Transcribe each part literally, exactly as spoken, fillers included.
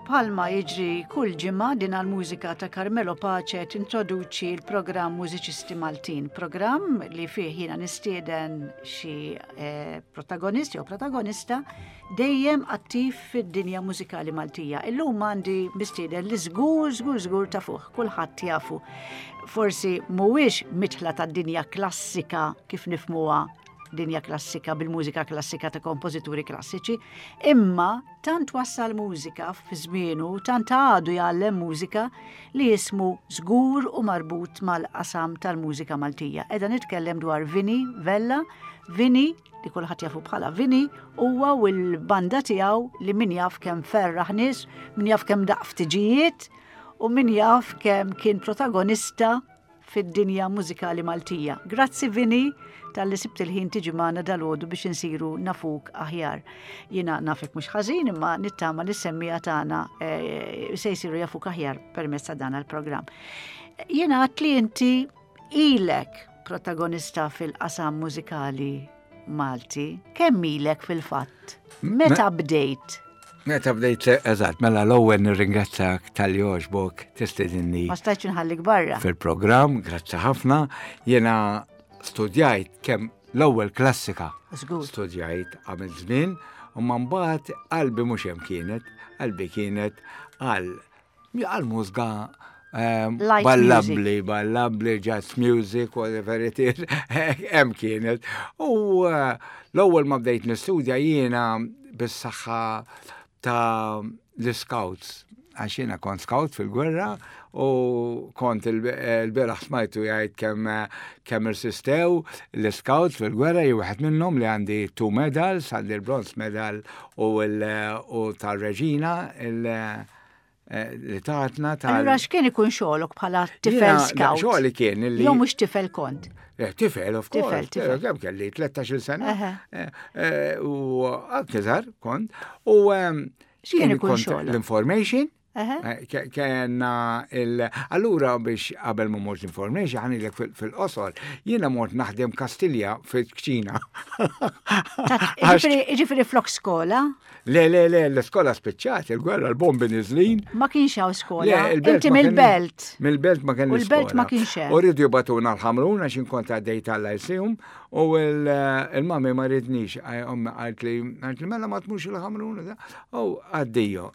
Bħalma jiġri kull ġimgħa, din għal-mużika ta' Carmelo Pace tintroduċi l-programm Mużiċisti Maltin, programm li fih jiena nistieden xi eh, protagonist jew protagonista dejjem attiv fid-dinja mużikali Maltija. Illum għandi mistieden li żgur, żgur, żgur ta' fuq, kulħadd jafu. Forsi mhuwiex mitħla tad-dinja klassika kif nifmuha, dinja klassika bil-mużika klassika ta' kompożituri klassiċi, imma tant wassal mużika fi żmienu, tant għadu jgħallem mużika li jismu żgur u marbut mal-qasam tal-mużika Maltija. Edha nitkellem dwar Vini Vella, Vini li kulħadd jafu bħala Vini, huwa u l-banda tiegħu li min jaf kemm ferraħ nies, min jaf kemm daqq f'tiġijiet u min jaf kemm kien protagonista fid-dinja mużikali Maltija. Grazzi, Vini, talli sibt il-ħin tiġi magħna dalgħodu biex insiru nafuk aħjar. Jiena nafek mhux ħażin, imma nittama li semmiegħa tagħna eh, se jsiru jafuk aħjar permezz ta' dan il-programm. Jiena għat li inti ilek protagonista fil-qasam mużikali Malti. Kemm ilek fil-fatt? Meta bdejt? Meta bdejt, eżatt, mela l-ewwel nirringrazzjak talli għoġbok tistedinni. Ma stajtx nħallik barra. Fil-programm, grazzi ħafna. Jiena studjajt kemm l-ewwel klassika. Żgur. Studjajt għamil żmien u ma mbagħad qalbi mhux hemm kienet, qalbi kienet għal għal mużika ehm, light ballabli, ballabli, jazz music, whatever it is, hemm kienet. U eh, l-ewwel ma bdejt nistudja jiena bis-saħħa ta' l-scouts, għax jiena kont scout fil-gwerra u kont il-bieraħ smajtu jgħid kemm kemm irsistew l-scouts fil-gwerra, jien wieħed minnhom li għandi two medals, għandi l-bronze medal u u tal-reġina il- eh, li tatna tal. Allura x'kien ikun xogħolok bħala tifel Jiena- scout? Xogħli kien li. Jew mhux tifel kont? Eh, Tifel, of course. Tifel, tifel. Kemm kelli tlettax-il sena. Eħe. Eh, eh, U anke żgħar kont. U ehm, X'kien jien ikun kont xogħolok? l-information. Eħe. Eh, ke- Kena il. Allura biex qabel ma mort l-information, ħa ngħidlek fil-qosor, jiena mort naħdem Kastilja fil-kċina. Ġifieri ġifieri flok skola? Le, le, le, l-iskola spiċċat, il-gwerra, l-bombi niżlin. Ma kienx hawn skola. Le, il-belt Inti ma kien- mill-belt. Mill-belt ma kien U l-belt ma kienx hemm. U rridu jibagħtuna l-Ħamrun għax kont għaddej tal-Lyceum u il-mami ma ridnix, ommi għalt li, għalt li mela ma tmux il-Ħamrun. U għaddijo.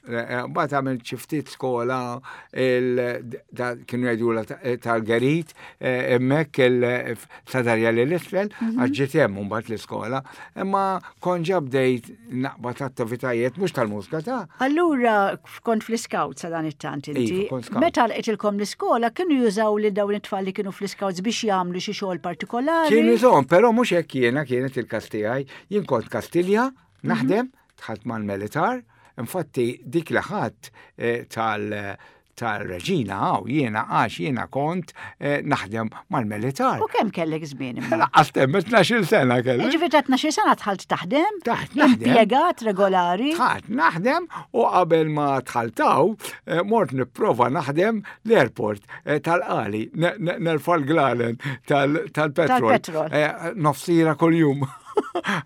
Bat għamilt xi ftit skola, il- da- kienu jgħidu tal-Gerit, hemmhekk il-Sadarja l-isfel, Mhm. għax ġiet hemm mbagħad l-iskola, imma kont ġa bdejt naqbad attivitajiet mhux tal-mużika ta' Allura kont fl-scouts sa dan it-tant inti. Iva, kont scout. Meta lqetilkom l-iskola, kienu jużaw li dawn it-tfal li kienu fl-scouts biex jagħmlu xi xogħol partikolari? Kienu jużawhom, però mhux hekk jiena kienet il-każ tiegħi. Jien kont Kastilja, naħdem, dħalt mal-militar, infatti dik li ħadd eh, tal tal-reġina għaw jiena għax jiena kont eh, naħdem mal-militar. U kemm kellek żmien imma? Lanqas temm tnax-il sena kelli. Ġifieri ta' tnax-il sena dħalt taħdem? Dħalt naħdem. Impjegat regolari? Dħalt naħdem u qabel ma dħaltaw, eh, mort nipprova naħdem l-airport eh, tal-Qali, ne- ne- nerfa' l-glalen tal- tal-petrol. Tal-petrol. Eh, Nofs siegħa kuljum.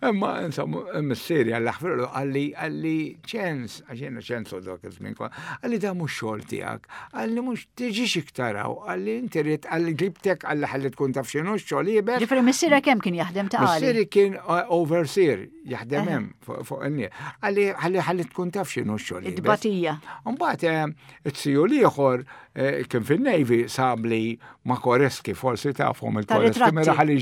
Imma insomma, missieri għalla ħfirlu qalli qalli ċens, għax jiena ċens u dak iż-żmien kwa, qalli da mhux xogħol tiegħek, qalli mhux tiġix iktar hawn, qalli inti rrid, qalli ġibtek, qalli ħalli tkun taf x'inhu x-xogħol iebes. Ġifieri missierek kemm kien jaħdem ta' Qali? Missieri kien uh, overseer, jaħdem hemm fuq fuq in-nies. Qalli ħalli ħalli tkun taf x'inhu x-xogħol iebes. Id-batija. Mbagħad eh, it-siju l-ieħor eh, kien fin-Navy sabli ma' Koreski, forsi tafhom il-Koreski Tar-ritratti. minn raħal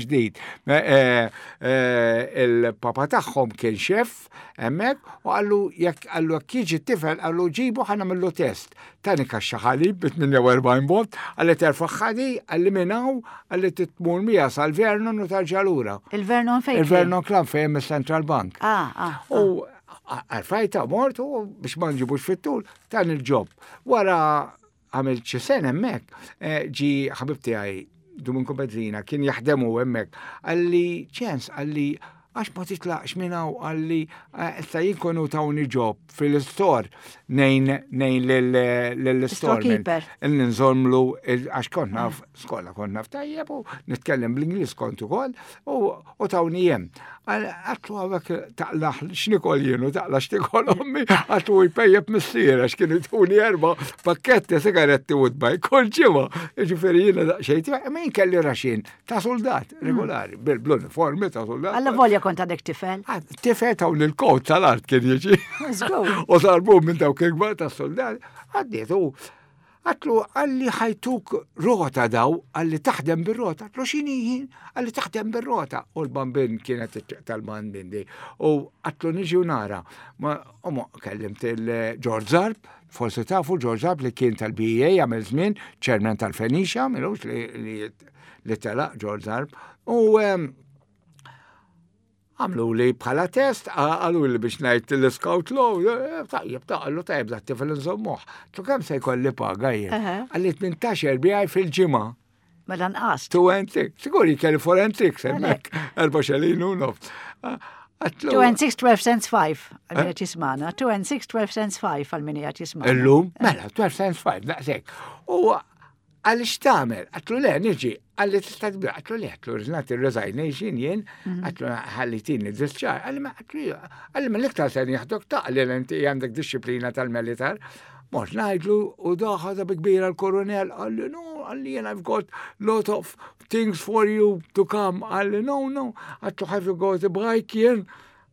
ġdid. Eh, eh, Il-papa tagħhom kien xef hemmhekk u qallu jekk qallu jekk jiġi t-tifel, qallu ġibu ħa nagħmillu test. Tani kaxxa ħalib bi tmienja u erbgħin bot, qalli terfagħha di, qalli minn hawn, qalli tmur miha sal-Vernon u tarġa' lura. Il-Vernon fejn? kien? Il-Vernon Club fejn hemm il-Central Bank. Ah, ah. U għarfajta mort u biex ma nġibux fit-tul dan il-job. Wara għamilt xi sena hemmhekk, eh, ġi ħabib tiegħi Domingo Bezzina kien jaħdemu hemmhekk. Qalli ċens, qalli Għax ma titlaqx minn hawn qalli, issa jien konu tawni job fil-store nejn nejn lill-store. Storekeeper. Nżomlu, għax kont naf, skola kont naf tajjeb u nitkellem bl-Ingliż kont ukoll u u tawni jem. Għedtlu hawnhekk taqla' x'nikol jien u taqla' x'tikol ommi, għedtlu jpejjep missier għax kienu tuni erba' pakketti sigaretti u tbaj kull ġimgħa. Ġifieri jiena daqsxejn, ma jien kelli Russian ta' soldat regolari, bil-uniformi ta' soldat. Alla volja kont għadek tifel. Ah, tifel taw l-kod tal-art kien jiġi. Żgur. U sarbu minn dawk il-kbar ta' soldat. Għaddiet u għedtlu qalli ħa jtuk rota daw, qalli taħdem bir-rota. Għedtlu x'inhi jien? Qalli taħdem bir-rota. U l-bambin kienet tal-bambin di. U għedtlu niġi u nara. Ma u ma kellimt il-George Zarb, forsi tafu George Zarb li kien tal-B E A għamil żmien, chairman tal-Phoenicia, milux li, li, li telaq George Zarb. U em, għamlu li bħala test, għalu li biex ngħid l-scout law, eh, tajjeb, ta' għallu tajjeb da tifel nżommuh. Tu kemm se jkolli paga jien? Aha. Qalli tmintax erbijaj fil-ġimgħa. Mela nqast. Two and six. Siguri kelli four and six, hemmhekk, erba' xelin u nofs. Għedtlu. two and six, twelve cents five. Għal min qed jismagħna. two and six, twelve cents five għal min qed jismagħna. Illum, mela, twelve cents five, daqsek. U għalli x'tagħmel? Għedtlu le, niġi, qalli tista' tibda, għedtlu le, għedtlu rżnat il-resignation jien, għedtlu ħallitini discharge, qalli ma għedtlu, qalli ma l-iktar se nieħdok taqli l-inti għandek disciplina tal-militar. Mort ngħidlu u daħħa bi kbira l-koronel, qalli no, qalli jien I've got lot of things for you to come, qalli no, no, għedtlu have you got a bike jien?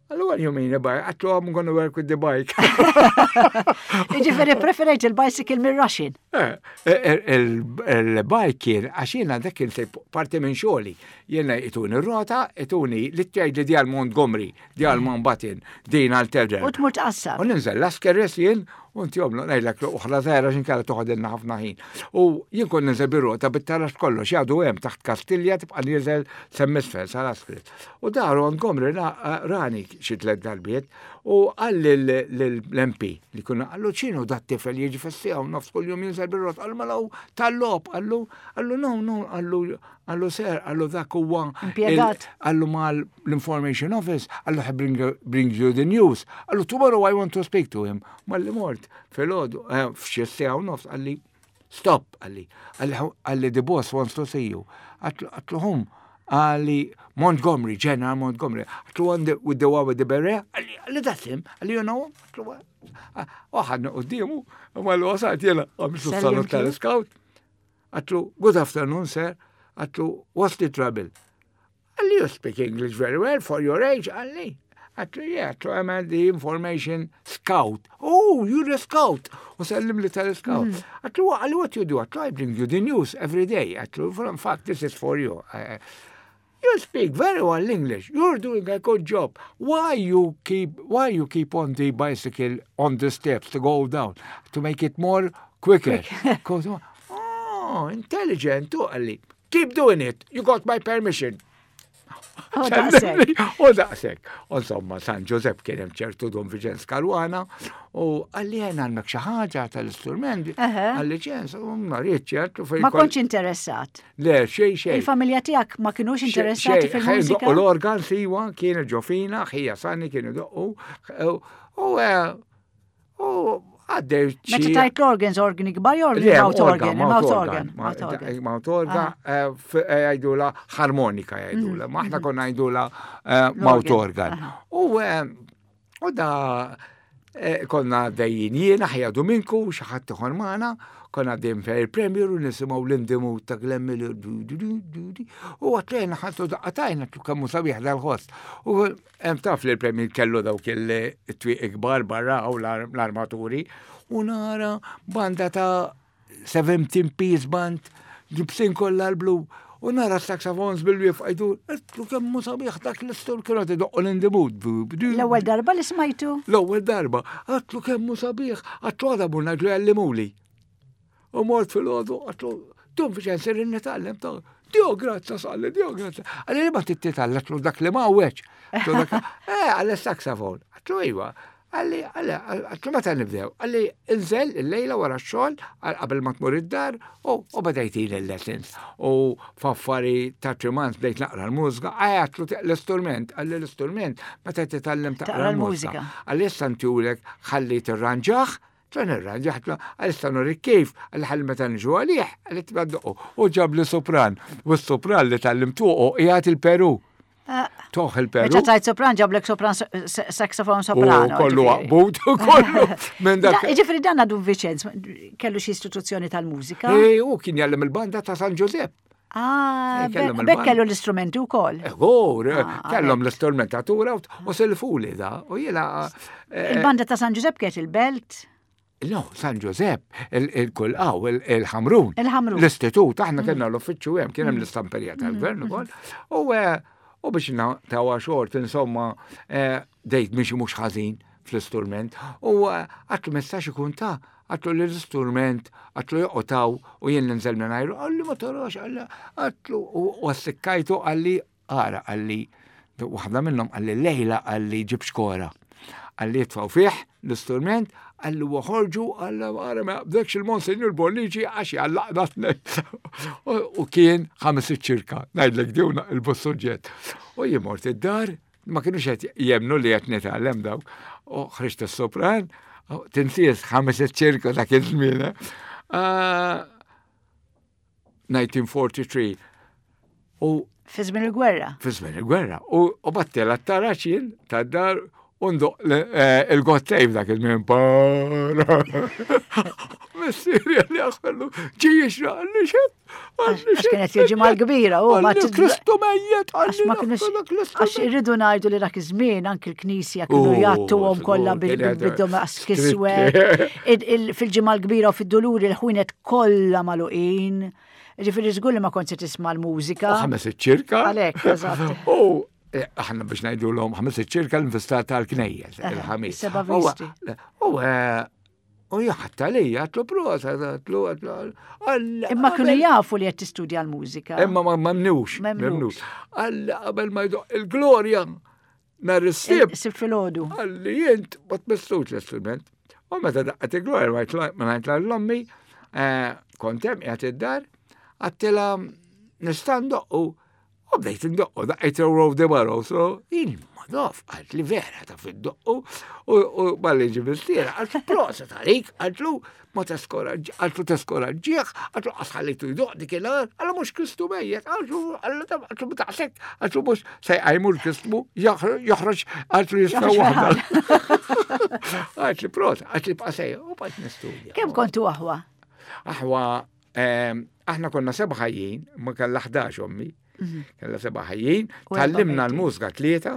Qalli what do you mean a bike? Għedtlu I'm gonna work with the bike. Ġifieri preferejt il-bicycle mir Russian. Eh, eh, Il-bike kien, għax jiena dak kien se parti minn xogħli. Jiena ituni r-rota, ituni li tgħid li di għal Montgomery, di għal Mountbatten, din għal Tedder. U tmur tqassam. U ninżel l-Lascaris jien, u inti jomlu ngħidlek uħra żgħira x'inkella toħodilna ħafna ħin. U jien kon ninżel bir-rota bit-taraġ kollox, jgħadu hemm taħt Kastilja tibqa' nieżel s'hemm isfel sal-Lascaris. U daru Montgomery ra- rani xi tliet darbiet u qal l-M P li kuna qallu x'inhu dat tifel jiġi fis-siegħa u nofs kuljum jinżel bir-rota, qallu mela hu tal-logħob, qallu qallu no no qallu qallu sir, qallu dak huwa Impjegat. Qallu mal l-information office, qallu he bring, brings you the news. Qallu tomorrow I want to speak to him. Malli mort, filgħodu, eh, f'xi siegħa u nofs, qalli stop, qalli, qalli, qalli the boss wants to see you. Għedtlu whom? Qalli Montgomery, General Montgomery. Għedtlu one the, with the one with the beret? Qalli, qalli that's him. Qalli you know him? Għedtlu what? U ħadna quddiemu, u malli wasalt jiena, għamiltu salut Sellimtlu? tal-scout. Għedtlu, good afternoon, sir. Għedtlu, what's the trouble? Qalli, you speak English very well for your age, qalli. Għedtlu, yeah, għedtlu, I'm the information scout. Oh, you're a scout. U sellim li tal-scout. Għedtlu, qalli, what you do? Għedtlu, I bring you the news every day. Għedtlu, in fact, this is for you. Uh, you speak very well English. You're doing a good job. Why you keep, why you keep on the bicycle on the steps to go down? To make it more quicker. 'Cause, oh, intelligent, tu qalli. Keep doing it. You got my permission. Oh, daqsek. U daqsek. U insomma, San Giuseppe kien hemm ċertu Dun Viġenz Caruana u qalli jien għandek xi ħaġa tal-istrument. Eħe. Qalli ċens, u ma rridx ċertu Ma kontx interessat. Le, xejn xejn. Il-familja tiegħek ma kienux interessati fil-mużika? U l-organ siwa kien ġofina, ħija Sani kienu doqqu. U eh, u għaddew Meta tajt l-organs, organi kbar jew Le, mouth organ, mouth organ, mouth mouth organ. Mouth organ, eh, f- eh, jgħidula harmonika jgħidula, ma aħna konna jgħidula eh, mouth organ. Aha. U eh, u da eh, konna dejjin jiena, ħija Dominku, xi ħadd ieħor magħna, konna għaddejjin fej il-Premier u nisimgħu l-In the Mood ta' Glenn Miller, du, du, du, du, du. U għatlejna ħattu daqqatajna tu kemm hu sabiħ dal-ħoss. U hemm taf li l-Premier kellu dawk il-twieq kbar barra u l-armaturi u nara banda ta' seventeen piece band, libsin kollha l-blu, u nara saxophones bil-wif għajdu, għedtlu kemm hu sabiħ dak l-istur kienu idoqqu l-In the Mood. L-ewwel darba li smajtu? L-ewwel darba, għedtlu kemm hu sabiħ, għedtlu għada mur ngħidlu jgħallimuli. U mort filgħodu, għedtlu, Dun Viċenz irrid nitgħallem ta' Dio grazza salli, Dio grazza. Qalli li ma titgħallem, għedtlu dak li ma għweċ. Eh, qalli saxophone. Għedtlu iva. Qalli, qalli, għedtlu meta nibdew, qalli inżel il-lejla wara x-xogħol, qabel ma tmur id-dar, u beda jtini l-lessons. U f'affari ta' three months bdejt naqra l-mużika, għedtlu l-istrument, qalli l-istrument, meta titgħallem taqra l-mużika. Qalli issa ntihulek ħalli tirranġah, tlun irranġah, qalli issa nurik kif, qalli ħalli meta nġu għalih, qalli tibda ddoqqu. U ġab li sopran, u s-sopran li tgħallimtu qiegħed il-Peru. Toħ il-Peru. Meta tajt sopran ġablek sopran saxophone soprano. Kollu għaqbut, kollu. Minn dak. Ġifieri dan għadu Viċenz, kellu xi istituzzjoni tal-mużika. E, u kien jgħallem il-banda ta' San Giuseppe. Ah, bekk kellu l-istrumenti wkoll. Eħor, kellhom l-istrumentatura u silfuli da. U jiena. Il-banda ta' San Giuseppe kienet il-Belt? No, San Giuseppe, il-kull għaw, il-Ħamrun. Il-Ħamrun. L-istitut, aħna kellna l-uffiċċju hemm, kien hemm l-istamperija tal-gvern ukoll. U U biex tawa xort, insomma, dejt miexi mhux ħażin fl-istrument. U għedtlu ma jistax ikun ta' għedtlu l-istrument, għedtlu joqgħod u jien ninżel minn ajru, qalli ma tarax, qalli għedtlu u għassikkajtu qalli ara, qalli, waħda minnhom qalli lejla qalli ġib xkora. Qalli jitfaw fih l-istrument, qalli uħorġu, qalli ara ma jaqbdekx il-Monsinjur Bonnici għax jgħallaqna tnejn. U kien ħames ċirka, ngħidlek diwna il-bussuġġett. U jien mort id-dar, ma kienux qed jemnu li qed nitgħallem dawk. U ħriġt is-sopran, tinsies ħames ċirka dak iż-żmien. nineteen forty-three. U fi żmien il-gwerra. Fi żmien il-gwerra. U battela t-taraċin tad-dar undu il-God Save dak il-minn para. Missieri għalli għaxħallu, ġi jixra għalli xed. Għax kienet il-ġimgħa l-kbira, u ma Kristu mejjet, għax ma kienux. Għax irridu ngħidu li dak iż-żmien anki l-knisja kienu jgħattuhom kollha bid-dom kiswed. Fil-ġimgħa l-kbira u fid-duluri l-ħwienet kollha magħluqin. Ġifieri żgur li ma kontx se tisma' l-mużika. Ħames iċ-ċirka. Għalhekk, eżatt. Aħna biex ngħidu l-om ħames iċ-ċirka l-infistat tal-knejjes, il-ħamis. Seba' visti. U u jaħta li, għedtlu prosa, għedtlu, għedtlu. Imma kienu jafu li qed tistudja l-mużika. Imma ma memnux, memnux. Qalli qabel ma jdoq il-glorja nhar is-Sibt. Sibt filgħodu. Qalli jint ma tmissux l-istrument. U meta daqqet il-glorja ma ngħid l-ommi, kont hemm qiegħed id-dar, għedtilha nista' ndoqqu. U bdejt ndoqqu, daqqejt Row the Barrow, so jien ma naf, għalt li vera ta' fid-doqqu, u malli ġi mistiera, għaltlu prosa talik, għaltlu ma teskoraġġ, għaltlu teskoraġġieħ, għaltlu qasħallitu jdoq dik il-għar, għallu mhux Kristu mejjet, għaltlu, għaltlu ma taqsek, għaltlu mhux se jqajmu l-Kristu, joħroġ, għaltlu jisfa' waħda. Għaltli prosa, għaltli bqa' sejja, u bqajt nistudja. Kemm kontu aħwa? Aħwa, aħna konna seba' ħajjin, ma kellha ħdax ommi. Kella seba' ħajjin, tgħallimna l-mużika tlieta.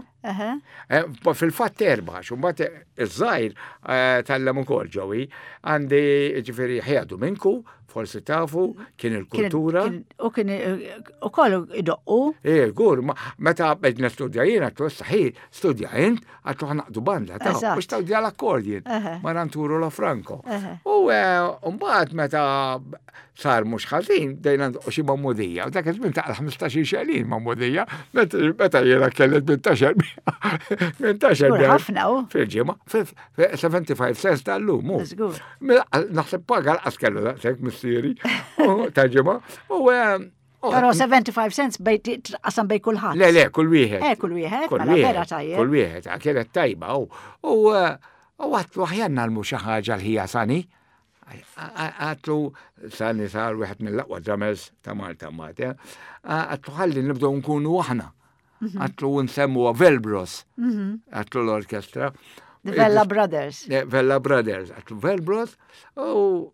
Fil-fatt erba', għax imbagħad iż-żgħir tgħallem ukoll ġewi. Għandi ġifieri ħjadu minku, forsi tafu, kien il-kultura. U kien ukoll idoqqu. Eh, gur, meta bdejt nistudja jien, għedtlu issa ħi, studja int, għedtlu ħa naqdu banda, ta' biex tawdja l-akkordjen, ma Arturo Lafranco. U mbagħad meta sar mhux ħażin, bdejna ndoqqu xi mammudija, u dak iż-żmien ta' ħmistax-il xelin mammudija, meta jiena kelli tmintax-il tmintax-il ħafna u. Fil-ġimgħa, seventy-five cents tal-lum. Naħseb paga l-qas kellu daqshekk missieri ta' ġimgħa. U Però seventy-five cents bej qasam bej kulħadd. Le, le, kull wieħed. Eh, kull wieħed, mela vera tajjeb. Kull wieħed, kienet tajba u għedtlu aħjar nagħmlu xi ħaġa l-ħija Sani. Għedtlu Sani sar wieħed mill-aqwa drummers ta' Malta mbagħad. Għedtlu ħalli nibdew nkunu aħna. Għedtlu nsemmuha Velbros. Għedtlu l-orkestra. The Vella Brothers. Vella Brothers. Għedtlu Velbros u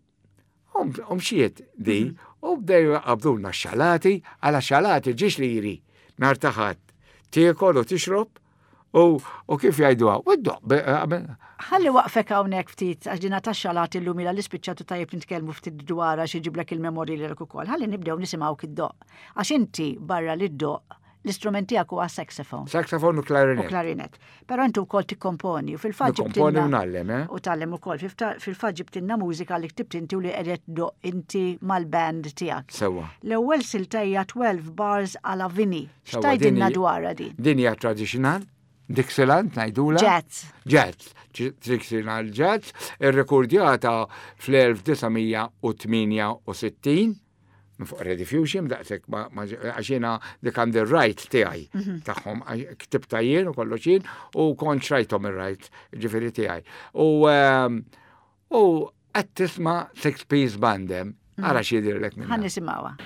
mxiet di u bdew qabdulna x-xalati, għala xalati ġiex liri nhar ta' Ħadd. Tiekol u tixrob u kif jgħiduha, u ddoq. Ħalli waqfek hawnhekk ftit għax dina tax-xalati llum ilha li spiċċatu tajjeb nitkellmu ftit dwar għax iġiblek il-memorji lilek ukoll. Ħalli nibdew nisimgħu id-doq. Għax inti barra li ddoq l-istrument tiegħek huwa saxophone. Saxophone u klarinet. U klarinet. Però inti wkoll tikkomponi u fil-fatt ġibtilna. Nikkomponi u ngħallem, eh? U tgħallem ukoll. Fil-fatt ġibtilna mużika li ktibt inti u li qiegħed ddoq inti mal-band tiegħek. Sewwa. L-ewwel silta hija twelve bars għala Vini. X'tgħidilna dwarha din? Din hija traditional. Dixieland ngħidula? Jazz. Jazz. Dixieland Jazz, irrekordjata fl-elf disa' mija u tmienja u sittin minn fuq Rediffusion, daqshekk ma, ma, għax jiena dik għandi r-right tiegħi Mhm. tagħhom, għax ktibta jien u kollox jien u kont xrajthom ir-right, ġifieri tiegħi. U, ehm, u qed tisma' six piece band hemm, ara x'jidhirlek minnha. Ħa nisimgħuha.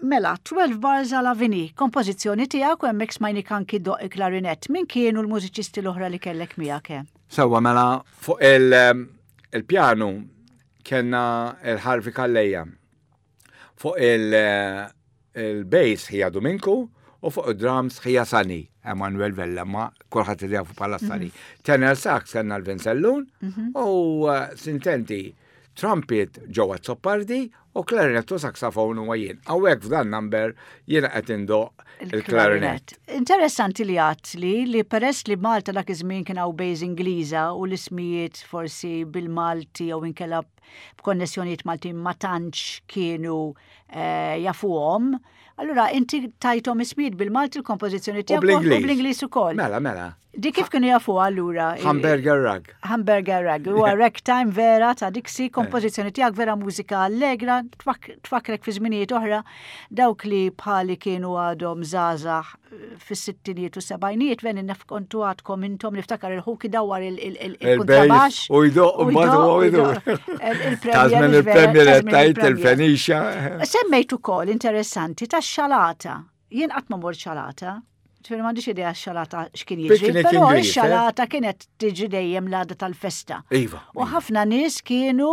Mela, twelve Bars a la Vini, kompożizzjoni tiegħek u hemmhekk smajnik anki doq il-klarinett. Min kienu l-mużiċisti l-oħra li kellek miegħek hemm? Sewwa, mela, fuq il-, il-pjanu kellna il-Harvey Calleja. Fuq il-, il-bass ħija Dominku u fuq il-drums ħija Sani, Emanuel Vella, ma kulħadd jafu bħala Sani. Mhm. Tenor sax kellna l-Vincellun Mhm. u, eh, sintenti trumpet ġewwa Zoppardi u clarinet u saxophone huwa jien. Hawnhekk f'dan number jiena qed indoq il-clarinet. Interessanti li għadt li, li peress li Malta dak iż-żmien kien hawn bejż Ingliża u l-ismijiet forsi bil-Malti jew inkella b'konnessjonijiet Maltin ma tantx kienu, eh, jafuhom. Allura inti tajthom ismijiet bil-Malti l-kompożizzjoni U tiegħek u bl-Ingliż. bl-Ingliż ukoll. Mela, mela. Di kif kienu jafu allura? Hamburger Rag. Hamburger Rag. Huwa ragtime vera ta' Dixie, kompożizzjoni tiegħek vera mużika allegra, tfak-, tfakrek fi żminijiet oħra, dawk li bħali kienu għadhom żgħażagħ fis-sittinijiet u sebgħinijiet, veni naf kontu għadkom intom niftakar il-ħuki dawar il-, il-, il-, il-kontrabax. Il-bejs u jdoq, U u mbagħad jdoq, huwa u jdur. jdoq. Il-, il-premier Ta' żmien vera, il-premier ta' żmien tajt il-premier. il-Fenicia. Semmejt ukoll interessanti tax-xalata. Jien qatt ma mort xalata. Ġifieri m'għandix idea x-xalata x'kien jiġri, Picnic però Ingliż, eh? x-xalata kienet tiġi dejjem l-għada tal-festa. Iva, U iva. ħafna nies kienu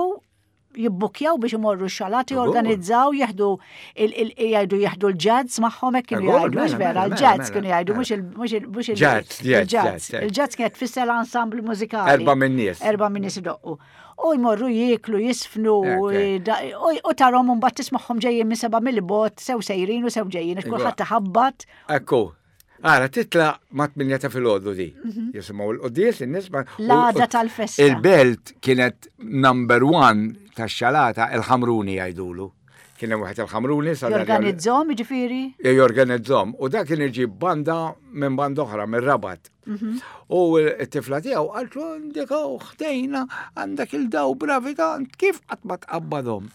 jibbukjaw biex imorru x-xalata, Ugur. jorganizzaw, jieħdu il-, il-, jgħidu jieħdu l-ġazz magħhom, hekk kienu Ugur, jgħidu, mhux mela, vera, mela, l-ġazz mela, kienu jgħidu, mela. mhux il-, mhux il-, mhux il-, Ġazz, ġazz, il-ġazz. ġazz, Il-ġazz kienet tfisser l-ensemble mużikali. Erba' minn nies. Erba' minn nies idoqqu. U jmorru jieklu, jisfnu, u tarahom mbagħad tismagħhom ġejjin minn seba' mill-bogħod, sew sejrin u sew ġejjin, kulħadd taħabbat. Ekku. Ara, titla ma' tmienja ta' filgħodu di. Mhm. Jisimgħu l-quddies, in-nies. L-għada tal-festa. Il-belt kienet number one tax-xalata, il-Ħamruni jgħidulu. Kien hemm wieħed il-Ħamruni. Jorganizzahom, jiġifieri? Jorganizzahom. U dak kien iġib banda minn banda oħra, minn Rabat. Mhm. U t-tifla tiegħu qaltlu, "Għandek ħdejna, għandek il-daw bravi tant, kif qatt ma tqabbadhom?"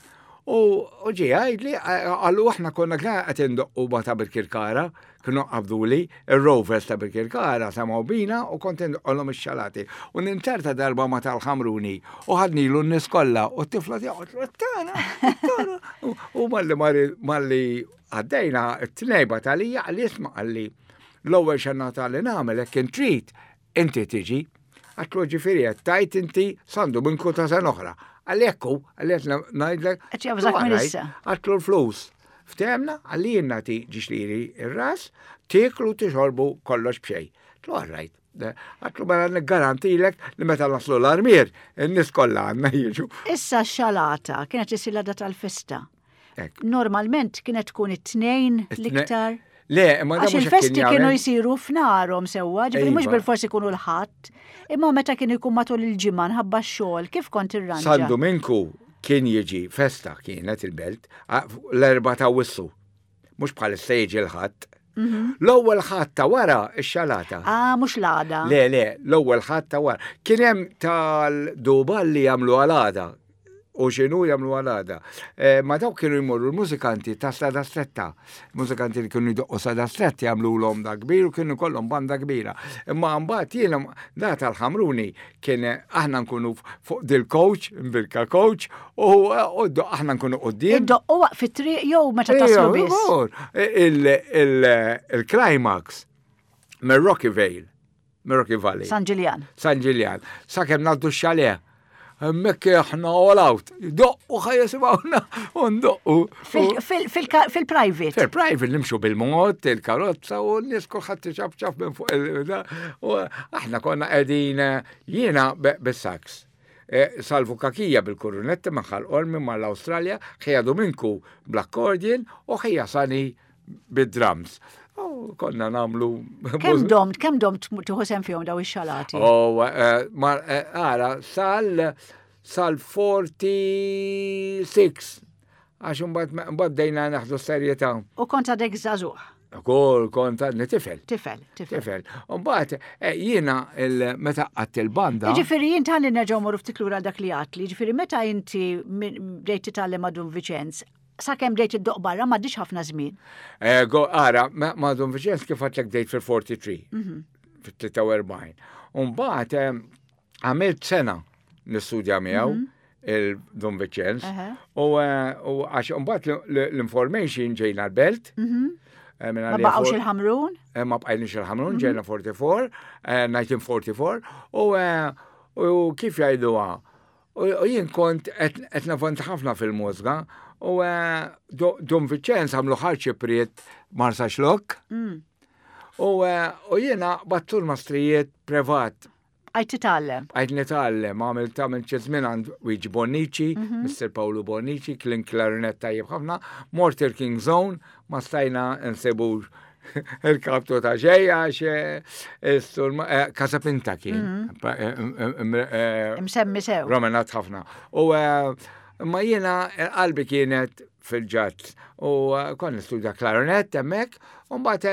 U ġie għajdli, għallu aħna konna qed indoqqu ma ta' Birkirkara, kienu qabduli, il-Rovers ta' Birkirkara semgħu bina u kont indoqqolhom ix-xalati. U ninzerta darba ma tal-Ħamruni u ħadnilu n-nies kollha u t-tifla tiegħu tana, tana. U malli malli għaddejna t-tnejba talija għalli, "Isma'," għalli, "l-ewwel xennata li nagħmel hekk trid inti tiġi." Għedtlu, "Ġifieri qed tgħid inti San Duminku ta' sena oħra?" Għalli, "Ekku," għalli, "qed ngħidlek." Għedtlu l-flus. Ftehemna, għalli jien nagħti ġiex liri ir-ras, tieklu, tixorbu, kollox b'xejn. Għedtlu, "All right." Għedtlu, "Mela niggarantilek li meta naslu l-Armier, in-nies kollha għandna jiġu." Issa xalata kienet isir l-għada tal-festa. Normalment kienet tkun it-Tnejn l-iktar. Le, ma Għax il-festi kienu jisiru f'narhom sewwa, ġifieri mhux iva. bil-forsi ikunu l-Ħadd, imma meta kienu jkun matul il-ġimgħa nħabba x-xogħol, kif kont irranġa? San Dominku kien jiġi festa kienet il-belt l-Erbgħa ta' Awwissu. Mhux bħal jiġi l-Ħadd. Mhm. L-ewwel Ħadd ta' wara ix-xalata. Ah, mhux l-għada. Le, le, l-ewwel Ħadd ta' wara. Kien hemm tal-duba li jagħmlu għal-għada u x'inhu jagħmlu għal-għada. Eh, ma dawk kienu jmorru l-mużikanti ta' Strada Stretta. Mużikanti li kienu jdoqqu Strada Stretta jagħmlu l da kbir u kienu kollhom banda kbira. Imma mbagħad jiena da tal-Ħamruni kien aħna nkunu fuq dil-coach, mbirka coach, u aħna nkunu quddiem. Iddoqqu waqt fit-triq jew meta taslu biss? Il-climax mir Rocky Vale, mir Rocky Valley. San Ġiljan. San Ġiljan. Sakemm ngħaddu x-chalet. Hemmhekk aħna all out. Doqqu ħa jisimgħuna u ndoqqu. Fil-private. Fil-private nimxu bil-mod, il-karozza u n-nies kulħadd ċapċap minn fuq il- U aħna konna qegħdin jiena bis-sax. E, Salvu Kakija bil-kurunetta minn Ħal Qormi mal-Australja, ħija Dominku bl-accordion u ħija Sani bid-drums. U konna nagħmlu. Kemm domt, kemm domt tieħu sehem fihom daw ix-xalati? Oh, ara, sal sal erbgħa u erbgħin. Għax mbagħad bdejna naħdu serjetà. U kont għadek żagħżugħ? Kol, kont għadni tifel. Tifel, tifel. Tifel. Mbagħad eh, jiena meta għadt il-banda. Ġifieri jien tħalli nerġgħu morru ftit lura dak li għedtli, ġifieri meta inti bdejt titgħallem ma' Dun Viċenz, sakemm bdejt iddoqq barra m'għaddix ħafna żmien. Eh, ara, ma' Dun Viċenz kif għedtlek bdejt fil-tlieta u erbgħin, mhm. fil-tlieta u erbgħin. Mbagħad eh, għamilt sena nistudja miegħu mhm. il-Dun Viċenz. U għax mbagħad l-information ġejna l-belt. Mhm. Ma baqgħux il-Ħamrun? Ma bqajniex il-Ħamrun, ġejna erbgħa u erbgħin, elf disa' mija u erbgħa u erbgħin, u kif jgħiduha? U jien kont qed navvanza ħafna fil-mużika u Dun Viċenz għamlu ħarċi Marsaxlokk. Mm. U jiena battur mastrijiet privat. Għajt titgħallem. Għajt nitgħallem, għamil tagħmel żmien għand Luigi Bonnici, mhm. Mister Paolo Bonnici, kien klarinet tajjeb ħafna, mort il-King Zone, ma stajna nsibu il-kaptu ta' ġeja, xe Casapinta kien. Mhm. Msemmi sew. Romenat ħafna. U ma jiena qalbi kienet fil-jazz. U kon nistudja klarinet hemmhekk, u mbagħad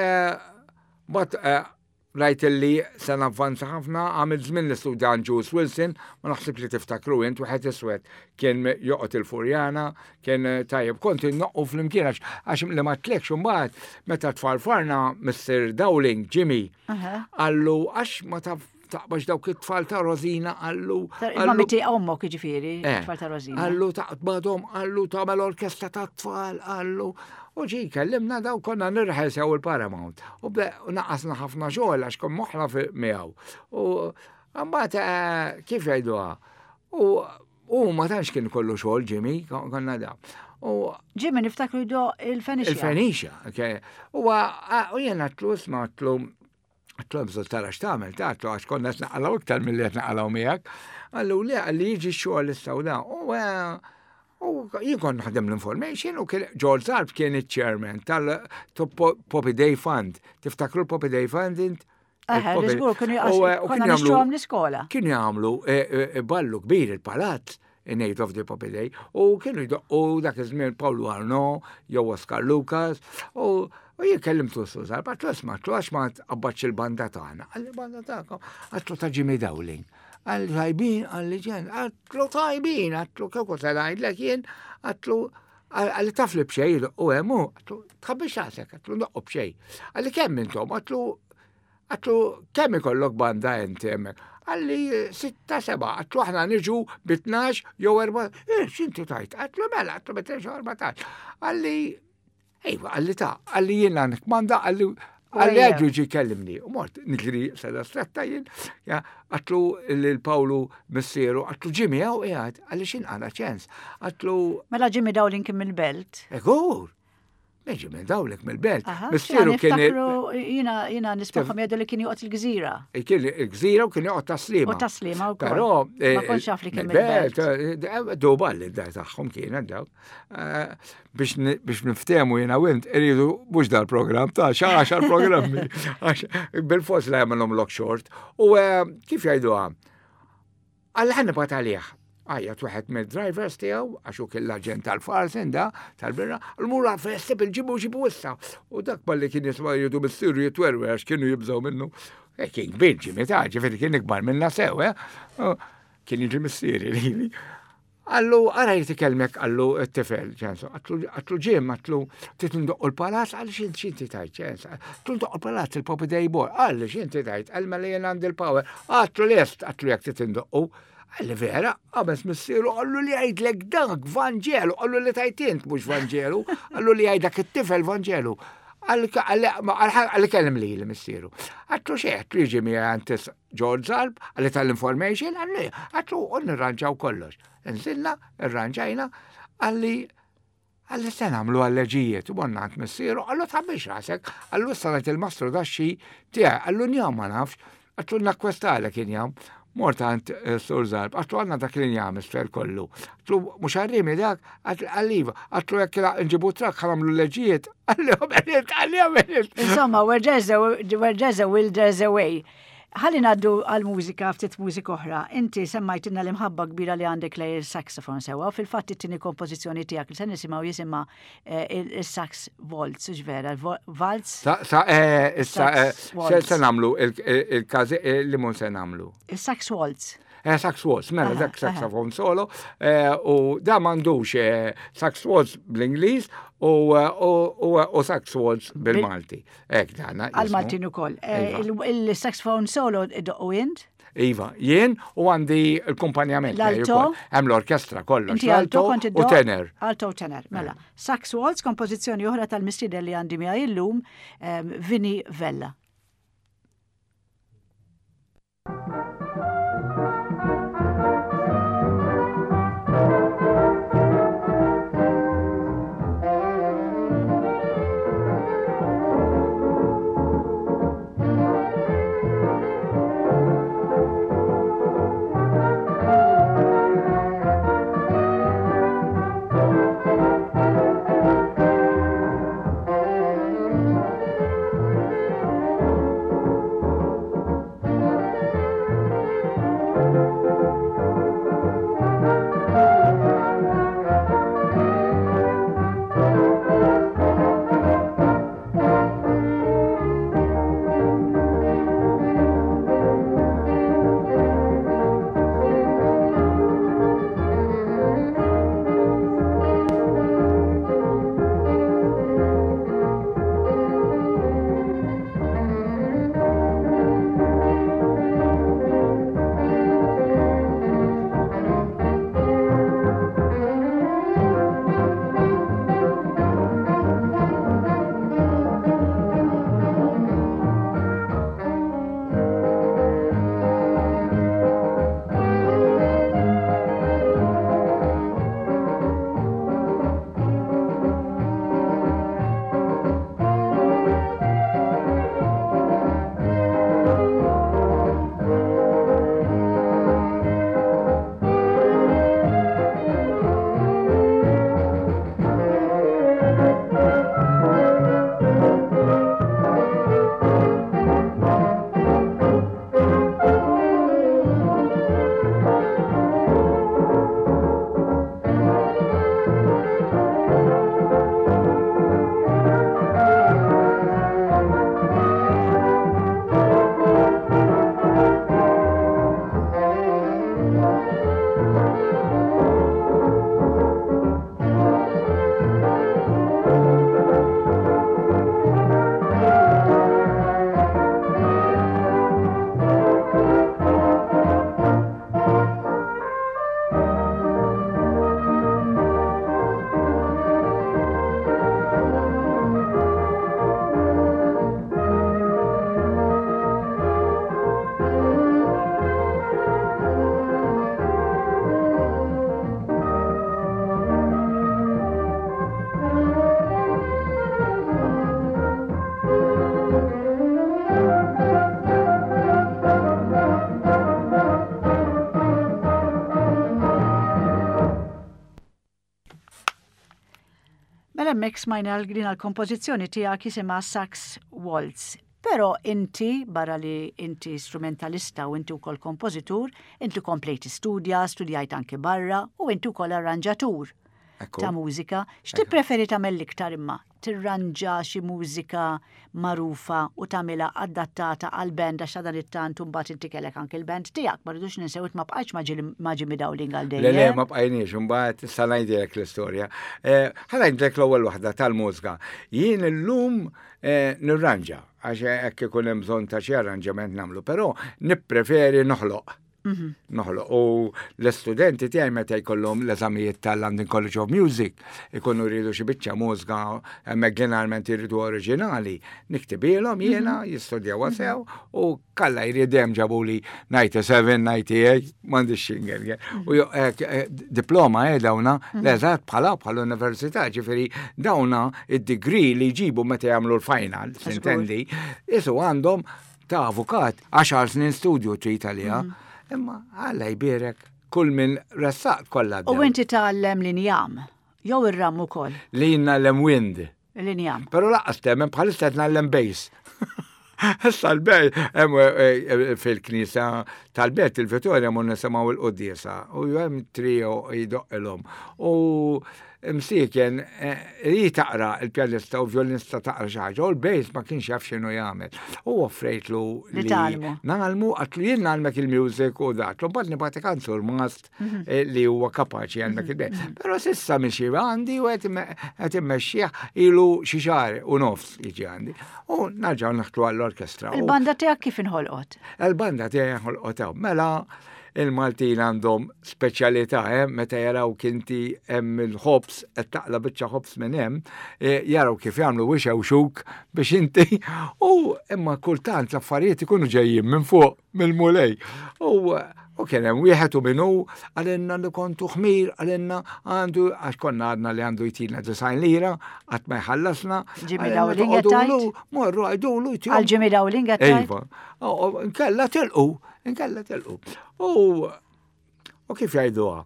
mbagħad rajt li se navvanza ħafna, għamil żmien nistudja Jules Wilson, ma naħseb li tiftakru int, wieħed iswed kien joqgħod il-Furjana, kien tajjeb, kont indoqqu flimkien għax li ma tlekx imbagħad meta tfarfarna Mister Dowling, Jimmy, għallu għax ma taf taqbax dawk it-tfal ta' Rosina, għallu. Ma miti ommok ġifieri, eh, tfal ta' Rosina. Għallu taqbadhom, għallu tagħmel orkestra ta' tfal, għallu. U ġi kellimna daw konna nirrehearsaw il-Paramount. U naqasna ħafna xogħol għax kon moħħna miegħu. U mbagħad eh, kif jgħiduha? U u ma tantx kien kollu xogħol Jimmy, konna da. U Jimmy niftakru jdoqq il-Fenicia. Il-Fenicia, ok. U u jena għedtlu, isma', għedtlu Għedtlu hemm bżonn tara x'tagħmel, ta' għedtlu għax konna qed naqalgħu iktar milli qed naqalgħu miegħek. Qallu le, qalli jiġi x-xogħol issa u da. U eh, u jien kont naħdem l-information u kien George Zarb kien il-chairman tal-Poppy Day Fund. Tiftakru l-Poppy Day Fund int? Eħe, Il-Poppy- żgur, kienu U, eh, u konna kienu jagħmlu- nixtruhom l-iskola. Kienu jagħmlu eh, eh, ballu kbir il-palazz in aid of the Poppy Day u kienu jdoqqu dak iż-żmien Paolo Arno jew Oscar Lucas u u jien kellimtu s-Sur Zarb, għedtlu isma', għedtlu għax ma tqabbadx il-banda tagħna. Qalli banda tagħkom, għedtlu ta' Jimmy Dowling. Qalli tajbin, qalli ġen, għedtlu tajbin, għedtlu kieku se ngħidlek jien, għedtlu qalli taf li b'xejn u hemm hu, għedtlu tħabbix rasek, għedtlu ndoqqu b'xejn. Qalli kemm intom, għedtlu għedtlu kemm ikollok banda inti hemmhekk? Qalli sitta seba, għedtlu aħna niġu bi tnax jew erba, eh, x'inti tajt? Għedtlu mela, għedtlu bi tnax jew erbatax. Qalli, ejwa, qalli ta, qalli jiena nikmanda, qalli qalli Ejja. għedlu ġi kellimni. U mort, niġri seda stretta jien, ja, għedtlu l-Pawlu missieru, għedtlu Jimmy għaw qiegħed, qalli x'inqala ċens. Għedtlu, Mela Jimmy Dowling kien mill-belt. egur, Meġi minn dawlek mill-belt. Aha, Missieru kien il- niftakru, jiena jiena nismagħhom jgħidu li kien joqgħod il-gżira. kien il-gżira u kien joqgħod Tas-Sliema. U Tas-Sliema wkoll. Però Ma kontx naf li kien mill-belt. Duba li d-dar tagħhom kienet dawk. Eh, Biex ni- biex niftehmu jiena u int iridu mhux dal-programm ta' xa għaxar programmi. Għax bil-fors la jagħmelhom lock short. U eh, kif jgħiduha? Qalli ħa nibgħat għalih. Għajjat wieħed mill-drivers tiegħu, għax hu kien l-aġent tal-Farsen da, tal-birra, l-mura fessib il-ġibu ġibu issa. U dak balli kien jisma' jgħidu missieru jitwerwer għax kienu jibżgħu minnu. E kien kbir Jimmy ta' ġifieri kien ikbar minna sew, eh? U Kien jiġi missieri lili. Qallu, ara jrid ikellmek, qallu t-tifel, ċensu, għedtlu Jim, għedtlu, trid ndoqqu l-palazz, qalli x'int x'inti tajt, ċensu, għedtlu ndoqqu l-palazz, il-Poppy Day Boy, qalli x'inti tajt, qalli mela jien għandi l-power, għedtlu lest, għedtlu jekk trid indoqqu, qalli vera, għames missieru, qallu li għajdlek dak Vanġelu, qallu li tajt int mhux Vanġelu, qallu li għajdlek it-tifel Vanġelu. Qalli kellem li l-missieru. Għedtlu xejn, għedtlu jiġi miegħi għand George Zarb, qalli tal-information, qalli, għedtlu u nirranġaw kollox. Nżilna, irranġajna, qalli, qalli se nagħmlu għal-leġijiet, u morna għand missieru, qallu tħabbix rasek, qallu issa ngħid il-mastru daxxi tiegħi, qallu njam ma nafx, għedtlu nakkwestalek injam. Mort għand eh, Sur Zarb, għedtlu għandna dak l-injam isfer kollu. Għedtlu mhux għarrimi dak, qalli iva, għedtlu jekk nġibu trakk ħa nagħmlu leġijiet, qalli għamilt, qalli għamilt. Insomma, where there's a, where there's a will, there's a way. Ħalli ngħaddu għal-mużika, ftit mużika oħra. Inti semmajtilna l-imħabba kbira li għandek lej il-saxophone sewa, u fil-fatt it-tieni kompożizzjoni tiegħek li se nisimgħu jisimha eh, il-sax waltz, vera, waltz, Sa, sa, eh, issa, eh, Sax se waltz. se nagħmlu il-każi li mun se nagħmlu. il-sax waltz. Eh, sax waltz, mela Aha, dak saxophone solo, eh, u da m'għandux eh, sax waltz bl-Ingliż u, eh, u, u, u sax waltz bil-Malti. Ek dana. jismu. Għal-Maltin ukoll. Eh, Iva. il- Il-saxophone solo iddoqqu int? Iva, jien u għandi l-kumpanjament. miegħi L-alto? wkoll. Hemm l-orkestra kollox. Inti alto kont u iddoqq? tenor. Alto u tenor, mela. Sax waltz, kompożizzjoni oħra tal-mistieden li għandi miegħi illum, em, Vinnie Vella. Thank Hemmhekk smajna l-din l-kompożizzjoni tiegħek jisimha Sax Waltz. Però inti, barra li inti strumentalista u inti wkoll kompożitur, inti komplejt studja, studjajt anke barra u inti wkoll arranġatur ta' mużika. X'tippreferi tagħmel l-iktar imma? Tirranġa xi mużika magħrufa u tagħmilha adattata għal band għax dan it-tant imbagħad inti kellek anke il-band tiegħek, ma rridux ninsew ma bqajtx ma' Jimmy Dowling għal dejjem. Le, le, ma bqajniex, imbagħad issa ngħidilek l-istorja. Eh, ħa ngħidlek l-ewwel waħda tal-mużika. Jien illum eh, nirranġa għax hekk ikun hemm bżonn ta' xi arranġament nagħmlu, però nippreferi noħloq. Mhm. Noħloq. U l-istudenti tiegħi meta jkollhom l-eżamijiet tal-London College of Music ikunu jridu xi biċċa mużika hemmhekk ġeneralment jridu oriġinali, niktibilhom jiena mhm. jistudjaw mhm. sew u kalla jridem ġabuli disgħa u sebgħin, disgħa u tmenin, m'għandix xingel. U eh, eh, diploma eh dawna l-eżatt bħala bħala università, ġifieri dawna id-degree li jġibu meta jagħmlu l-final, s'intendi, isu għandhom ta' avukat, għaxar snin studju trid għaliha. Imma Alla jbierek kull min ressaq kollha. U inti tgħallem l-injam, jew ir-ram ukoll? Li ngħallem wind. L-injam. Però lanqas temmen bħalissa qed ngħallem bass. Issa l-bej, eh, eh, fil-knisa tal-belt il-Vittoria mun nisimgħu il-quddiesa u hemm trio jdoqqilhom. U msiken, eh, li taqra il-pjanista u violinista taqra xi ħaġa, u l-bass ma kienx jaf x'inhu jagħmel. U offrejtlu li ngħallmu, għedtlu jien ngħallmek il-music u dak. Mbagħad nibgħatek għand surmast mhm. eh, li huwa kapaċi jgħallmek mhm. il-bass. Mhm. Però s'issa mixi għandi u qed immexxih ilu xi xahar u nofs jiġi għandi. U nerġgħu naħtlu għall-orkestra. Il-banda tiegħek kif inħolqot? Il-banda tiegħek inħolqot mela il-Maltin għandhom speċjalità, eh, meta jaraw kinti hemm il-ħobż qed taqla biċċa ħobż minn hemm, eh, jaraw kif jagħmlu wixewxuk biex inti u imma kultant l-affarijiet ikunu ġejjin minn fuq mill-Mulej. U U kien hemm wieħed u minnu għalenna li kontu ħmir, għalenna għandu għax konna għadna li għandu jtina disgħin lira, qatt ma jħallasna. Jimmy Dowling qed Morru għajdulu. Għal Jimmy Dowling qed Iva. Nkella tilqu, nkella tilqu. U u kif jgħiduha?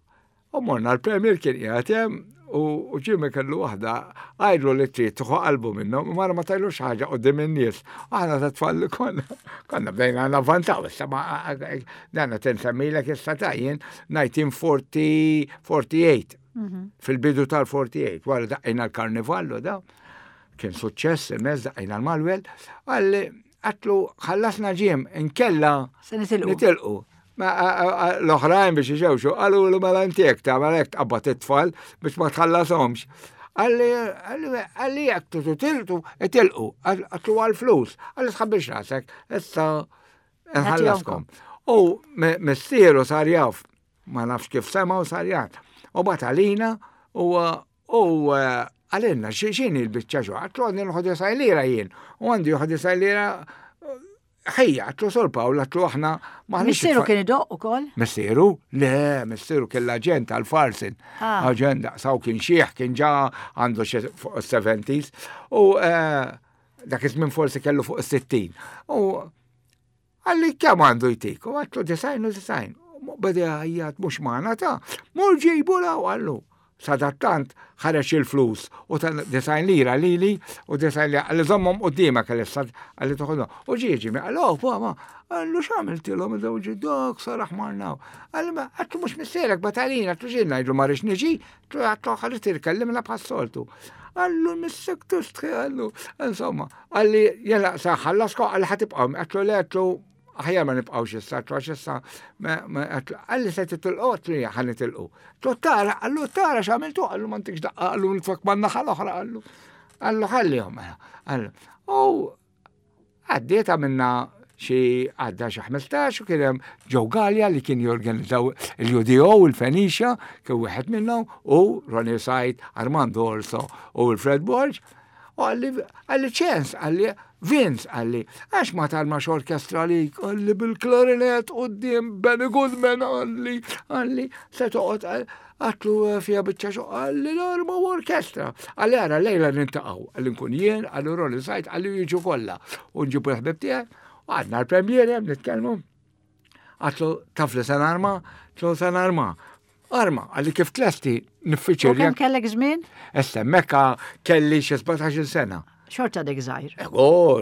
U morna l-Premier kien qiegħed hemm u Jimmy kellu waħda għajdlu li trid tuħu qalbu minnhom, mara ma tajlux ħaġa qudiem in-nies. Aħna ta' tfal li konna konna bdejna navvantaw, issa ma dan qed insemmilek issa tajjin elf disa' mija u erbgħa u erbgħin. Mhm. Fil-bidu tal-erbgħa u erbgħin, wara daqqejna l-karnivallu da, kien suċċess immens daqqejna l-Malwel, għalli għedtlu ħallasna Jim, inkella nitilqu. L-oħrajn biex iġewxu, għallu l mela intiek ta' mela jek tqabbad it-tfal biex ma tħallasomx. Għalli, għalli jek titilqu, itilqu, għedtlu għal-flus, għalli tħabbix rasek, issa nħallaskom. U missieru sar jaf, ma nafx kif sema u sar jaf. U batalina u u għalenna xini l-bicċa xo, għedtlu għandi l lira jien, u għandi disgħin lira ħejja, għedtlu Sur Pawl, għedtlu aħna Missieru kien idoqq ukoll? Missieru? Le, missieru kien l-aġent għal-Farsin. Ah. Aġent daqsaw kien xieħ, kien ġa għandu xi fuq il-seventies. U eh, dak iż-żmien forsi kellu fuq il-sittin. U għalli kemm għandu jtik? U għedtlu disgħin u disgħin. Beda jgħid mhux magħna ta' mur ġibu la għallu. Sadattant ħareġ il-flus u ta' disgħin lira lili u disgħin lira għalli żommhom qudiemek għalli għalli toħodhom. U ġieġi mi għallu, oh, ma, għallu x'għamiltilhom id dak saraħ marnaw. Għallu ma għedtlu mhux missierek batalina, għedtlu xejn ngħidlu ma rridx niġi, għedtlu ħalli tirkellimna bħas-soltu. Għallu missek tustħi għallu, insomma, għalli jela saħħallasko għalli ħa tibqgħu, għedtlu le għedtlu aħjar ma nibqgħux issa, għedtlu għax issa, għalli se titilqu, għedtlu ħa nitilqu. Għedtlu tara, għallu tara x'għamiltu, għallu ma ntikx daqqa, għallu nitfak man-naħa l-oħra, għallu. Għallu ħallihom, għallu. U għaddiet għamilna xi għadda xi ħmistax u kien hemm Joe Gallia li kien jorganizzaw il-U D O, il-Fenicia, kien wieħed minnhom u Ronnie Said, Armando Orso u il-Fred Borg. U għalli, għalli ċens, għalli Vince, għalli, għax ma tarmax orkestra li, għalli bil-klarinet u d Benny Goodman, għalli, għalli, se toqgħod, għedtlu fija biċċa xo, għalli l-arma u orkestra. Għalli għara lejla niltaqgħu, għalli nkun jien, għalli Ronnie Said, għalli jiġu kollha. U nġibu l-ħbib tiegħi, u għadna l-premiere, nitkellmu. Għedtlu taf li se narma, għedtlu se narma. Arma, qalli kif tlesti U niffiċirja. kemm kellek żmien? Issa, mekka kelli xi sbatax-il sena. Xorta dek żgħir. Oh,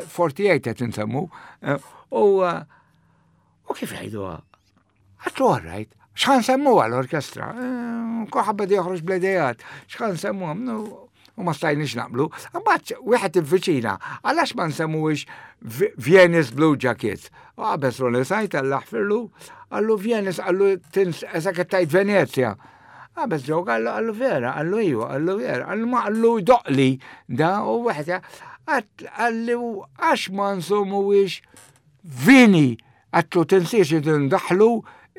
forty-eight qed insemmu. Eh, U eh, u kif jgħidu? Għedtlu all right. X'ħa nsemmuha l-orkestra? Kulħadd beda joħroġ bl-idejat. X'ħa nsemmuha? U ma stajniex naqblu. Mbagħad wieħed il-viċina, għalax ma nsemmuhiex Venice Blue Jackets? U qabeż Ronnie Said Alla jaħfirlu, qallu Venice, qallu tins, eżak tajt Venezia. Qabeż ġew qallu, qallu vera, qallu iwa, qallu vera, qallu ma qallu doqli da u wieħed qallu għax ma nsemmuhiex Vini, għedtlu tinsiex ndaħlu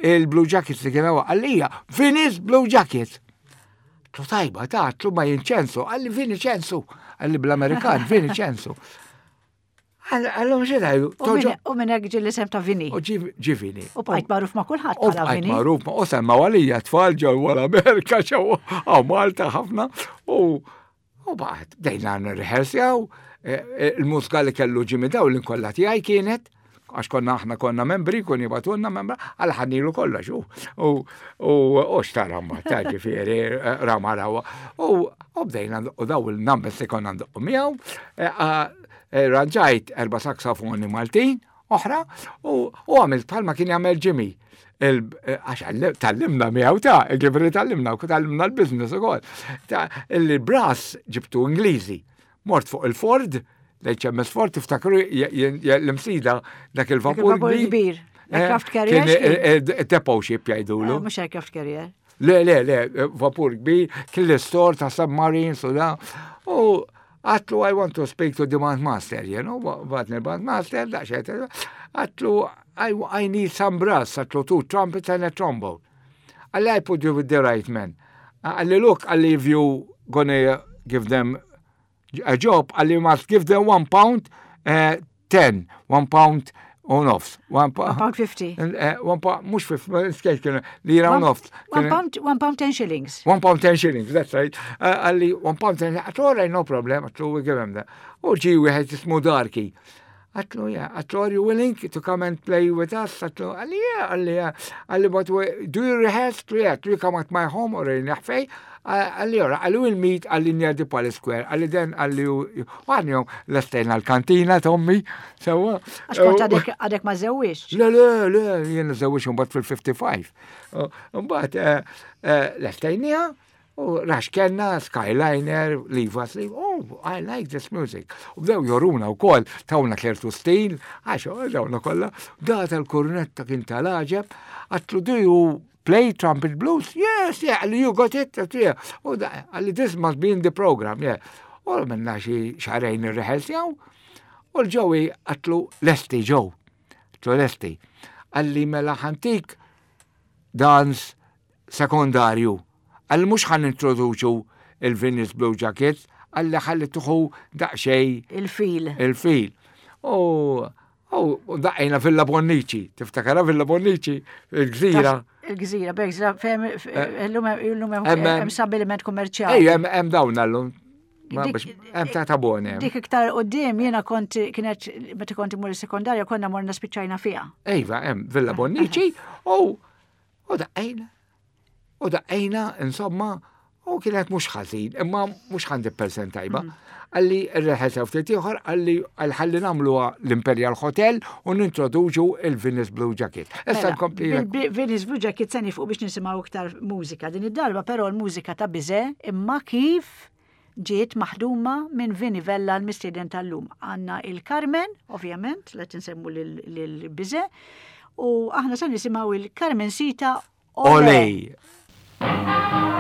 il-Blue Jackets li kienu għallija, Venice Blue Jackets. Għedtlu tajba, ta' għedtlu ma jinċensu, qalli Vini ċensu, qalli bl-Amerikan, Vini ċensu. Għallu mxie tajdu. U minn hekk ġie l-isem ta' Vini. U ġie Vini. U bqajt magħruf ma' kulħadd U bħala bqajt Vini. magħruf ma' u semma għalija tfal ġew wara Amerika ġew għaw Malta ħafna u u baqgħet bdejna nirrehearsjaw il-mużika li kellu Jimmy Dowling kollha tiegħi kienet għax konna aħna konna membri, kun jibatunna membra, għal ħannilu kollox, u u u xtara ma ta' ġifieri, rama rawa. U u bdejna u daw il-numbers li konna ndoqqu miegħu, ranġajt erba' saksofoni Maltin oħra, u għamilt bħalma kien jagħmel Jimmy. Għax tgħallimna miegħu ta' ġifieri tgħallimna, u tgħallimna l-business ukoll. Il-brass ġibtu Ingliżi. Mort fuq il-Ford, l-H M S Ford, tiftakru l-Imsida dak il-vapur Dak il-vapur kbir. Aircraft carrier. Kien depot ship jgħidulu. Mhux aircraft carrier. Le, le, le, vapur kbir, kien l-istor ta' submarines u da. U għedtlu, "I want to speak to the band master," you know, bagħatni l-band master, da xejt, għedtlu, I, I need some brass," għedtlu, "two trumpets and a trombone." Qalli, "I put you with the right man." Qalli, "Look," qalli, "if you gonna give them a job," qalli, "you must give them one pound, uh, ten, one pound u nofs. One pound fifty. Uh, one pound, mhux fifty, skejt kienu, lira u nofs. One pound, one pound ten shillings. One pound ten shillings, that's right. Qalli, one pound ten, għedtlu, "All right, no problem," għedtlu, "we give him that." U ġie wieħed jismu Darky. Għedtlu, "Yeah," għedtlu, "are you willing to come and play with us?" Għedtlu, qalli, "Yeah," qalli, "yeah." Qalli, "But do you rehearse?" Għedtlu, "Yeah," għedtlu, "you come at my home or in fej." Qalli, "Ora," qalli, "we'll meet," qalli, "near the Palace Square." Qalli, "Then," qalli, għan lestejna l-kantina, Tommy, sewwa. Għax kont għadek għadek ma żewwiġ. Le, le, le, jiena żewwiġ mbagħad fil-fifty-five. Mbagħad lestejniha, u rax kellna Skyliner, Leave Us Leave, "Oh, I like this music." U bdew joruna u koll, tawna ċertu stil, għax dawna kollha, da tal-kornetta kien tal-għaġeb, għedtlu, "Do you play trumpet blues?" "Yes, yeah," qalli, "you got it?" "Yeah." U da, qalli, "This must be in the program, yeah." U minna xi xahrejn irrehearsjaw, u l-Joey għedtlu lesti Joe, għedtlu lesti. Qalli mela ħa ntik dance sekondarju. Qalli mhux ħa nintroduċu il-Venice Blue Jackets, qalli ħalli tieħu daqsxejn Il-feel. Il-feel. U u daqqejna Villa Bonnici, tiftakara Villa Bonnici, il-gżira. Il-gżira, b'gżira, fem, illum illum Hemm- hemm stabiliment kummerċjali. Ej, hemm hemm dawn allum. Ma Dik- biex hemm ta' tabone. Dik iktar qudiem jiena kont kienet meta kont imur is-sekondarja konna morna spiċċajna fiha. Ejva, hemm Villa Bonnici u u daqqejna. U daqqejna, insomma, u kienet mhux ħażin, imma mhux mija fil-mija tajba. Qalli rrehearsjaw ftit ieħor, qalli għal ħalli nagħmluha l-Imperial Hotel u nintroduċu il-Venice Blue Jacket. Issa Mela, nkompli. Bil-Venice Blue Jacket se fuq biex nisimgħu iktar mużika. Din id-darba però l-mużika ta' Bize imma kif ġiet maħduma minn Vini Vella l-mistieden tal-lum. Għandna il-Carmen, ovvjament, la tinsemmu lil Bize, u aħna se nisimgħu il-Carmen Sita. Olej. Thank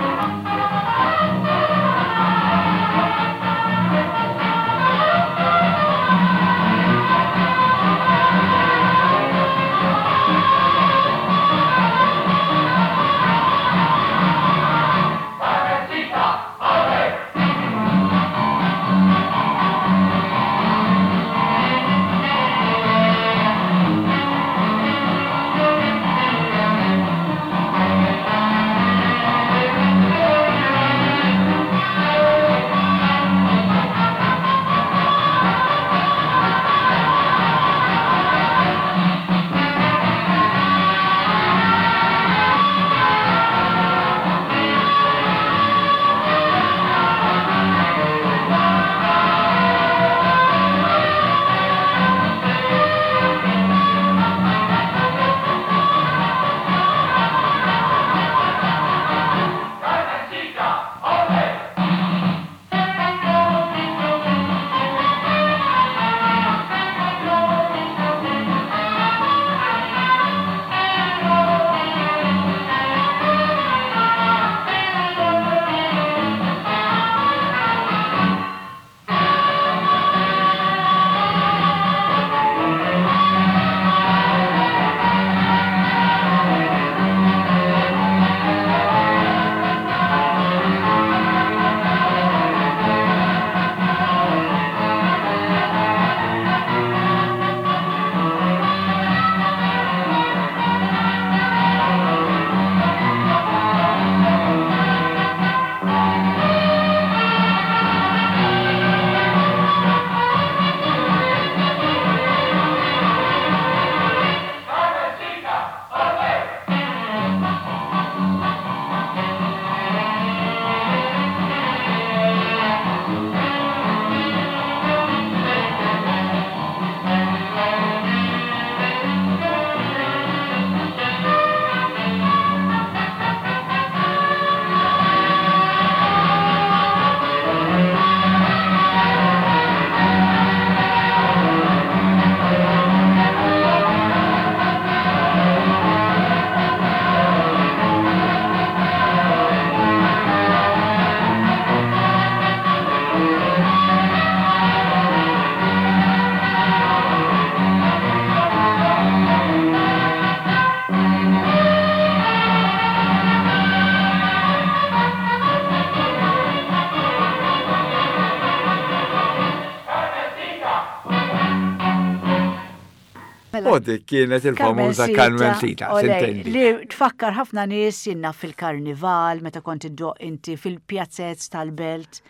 Mela, U dik kienet il-famuża Carmencita, Olej, s'intendi. li tfakkar ħafna nies jiena fil-karnival, meta kont iddoqq inti fil-pjazzez tal-belt,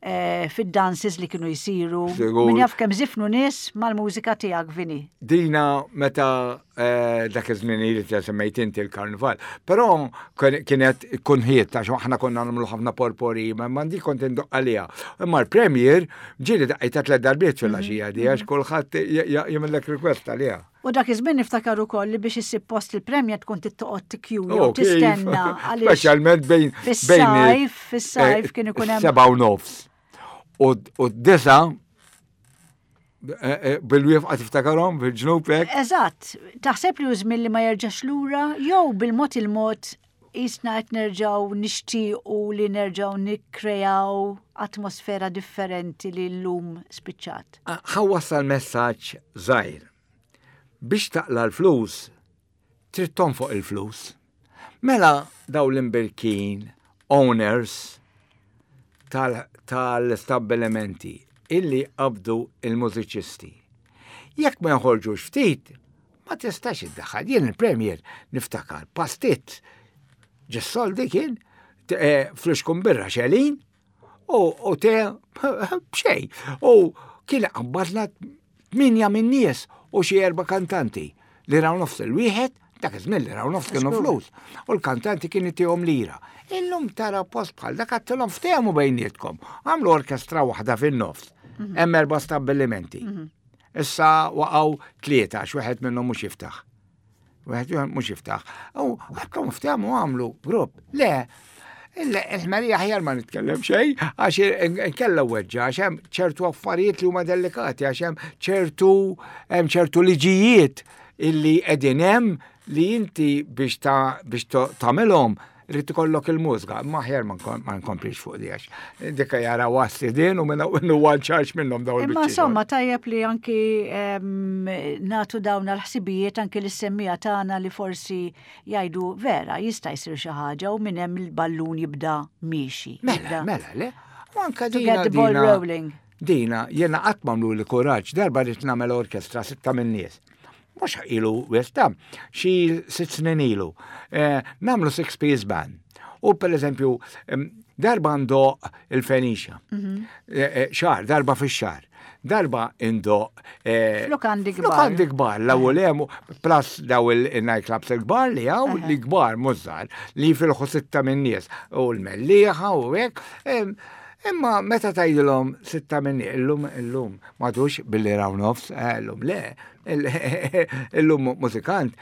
eh, fid-dances li kienu jisiru. Sigur. Min jaf kemm żifnu nies mal-mużika tiegħek, Vini. Dina meta eh, dak iż-żmien li ta' semmejt inti il-karnival. Però kien- kienet kunħiet għax aħna konna nagħmlu ħafna potpourri, ma mandi kont indoqq għaliha. Imma l-premier ġieli daqqejtha tliet darbiet fil-għaxija di għax kulħadd jagħmellek request għaliha. U dak iż-żmien niftakar ukoll li biex issib post il-premja tkun toqgħod tikkjuja u Oh, kif? tistenna għaliex Speċjalment bejn bejn fis-sajf, fis-sajf kien ikun hemm Seba' u nofs. U u d-disa eh, eh, bil-wifqa tiftakarhom fil-ġnub hekk. Eżatt, taħseb li hu żmien li ma jerġax lura jew bil-mod il-mod jisna qed nerġgħu nixtiequ li nerġgħu nikkrejaw atmosfera differenti li llum spiċċat. Ħa wassal messaġġ żgħir. Biex taqla l-flus, trid tonfoq il-flus. Mela daw l-imbirkin owners tal-istabbilimenti illi qabdu il-mużiċisti. Jekk ma joħorġux ftit, ma tistax iddaħħal. Jien il-premier niftakar pastit ġis-soldi kien t- eh, flixkun birra xelin u u te b'xejn. U kien qabbadna tminja minn nies u xi erba' kantanti li raw nofs il-wieħed, dak iż-żmien li raw nofs kienu Żgur. flus. U l-kantanti kien itihom lira. Illum tara post bħal dak għattilhom ftehmu bejnietkom. Għamlu orkestra waħda fin-nofs. Hemm erba' stabbilimenti. Issa waqgħu tlieta għax wieħed minnhom mhux jiftaħ. Wieħed mhux jiftaħ. U għadkom ftehmu għamlu grupp. Le, il-ħmerija aħjar ma nitkellem xejn, għax nkella weġġa, għax hemm ċertu affarijiet li huma delikati, għax hemm ċertu hemm ċertu liġijiet illi qegħdin hemm li inti biex ta' biex tagħmilhom rrid ikollok il-mużika, ma aħjar ma nkomplix fuq di għax. Dikka jara wassi din u minna huwa ċarġ minnhom dawn Imma insomma tajjeb li anki natu dawn l-ħsibijiet anki l-semmija tagħna li forsi jgħidu vera jista' jsir xi ħaġa u minn hemm il-ballun jibda miexi. Mela, mela, le. U anka To dina. get the ball dina- rolling. Dina, jena qatt m'għamlu li kuraġġ, darba rrid nagħmel orkestra sitta minn nies. Mhux ilu westa, xi sitt snin ilu. Eh, Nagħmlu six piece band. U per eżempju, em, darba ndoqq il-Fenicia. Eh, eh, Xahar, darba fix-xahar. Darba indoqq. eh, F'lukandi kbar. F'lukandi kbar, l-ewwel hemm plus daw il-nightclubs il-kbar li hawn li kbar mużżar li fil sitta minn nies u l-Mellieħa u hekk. Em, Imma meta tgħidilhom sitta minn nies, illum illum madux billi raw nofs, eh, illum le, illum mużikant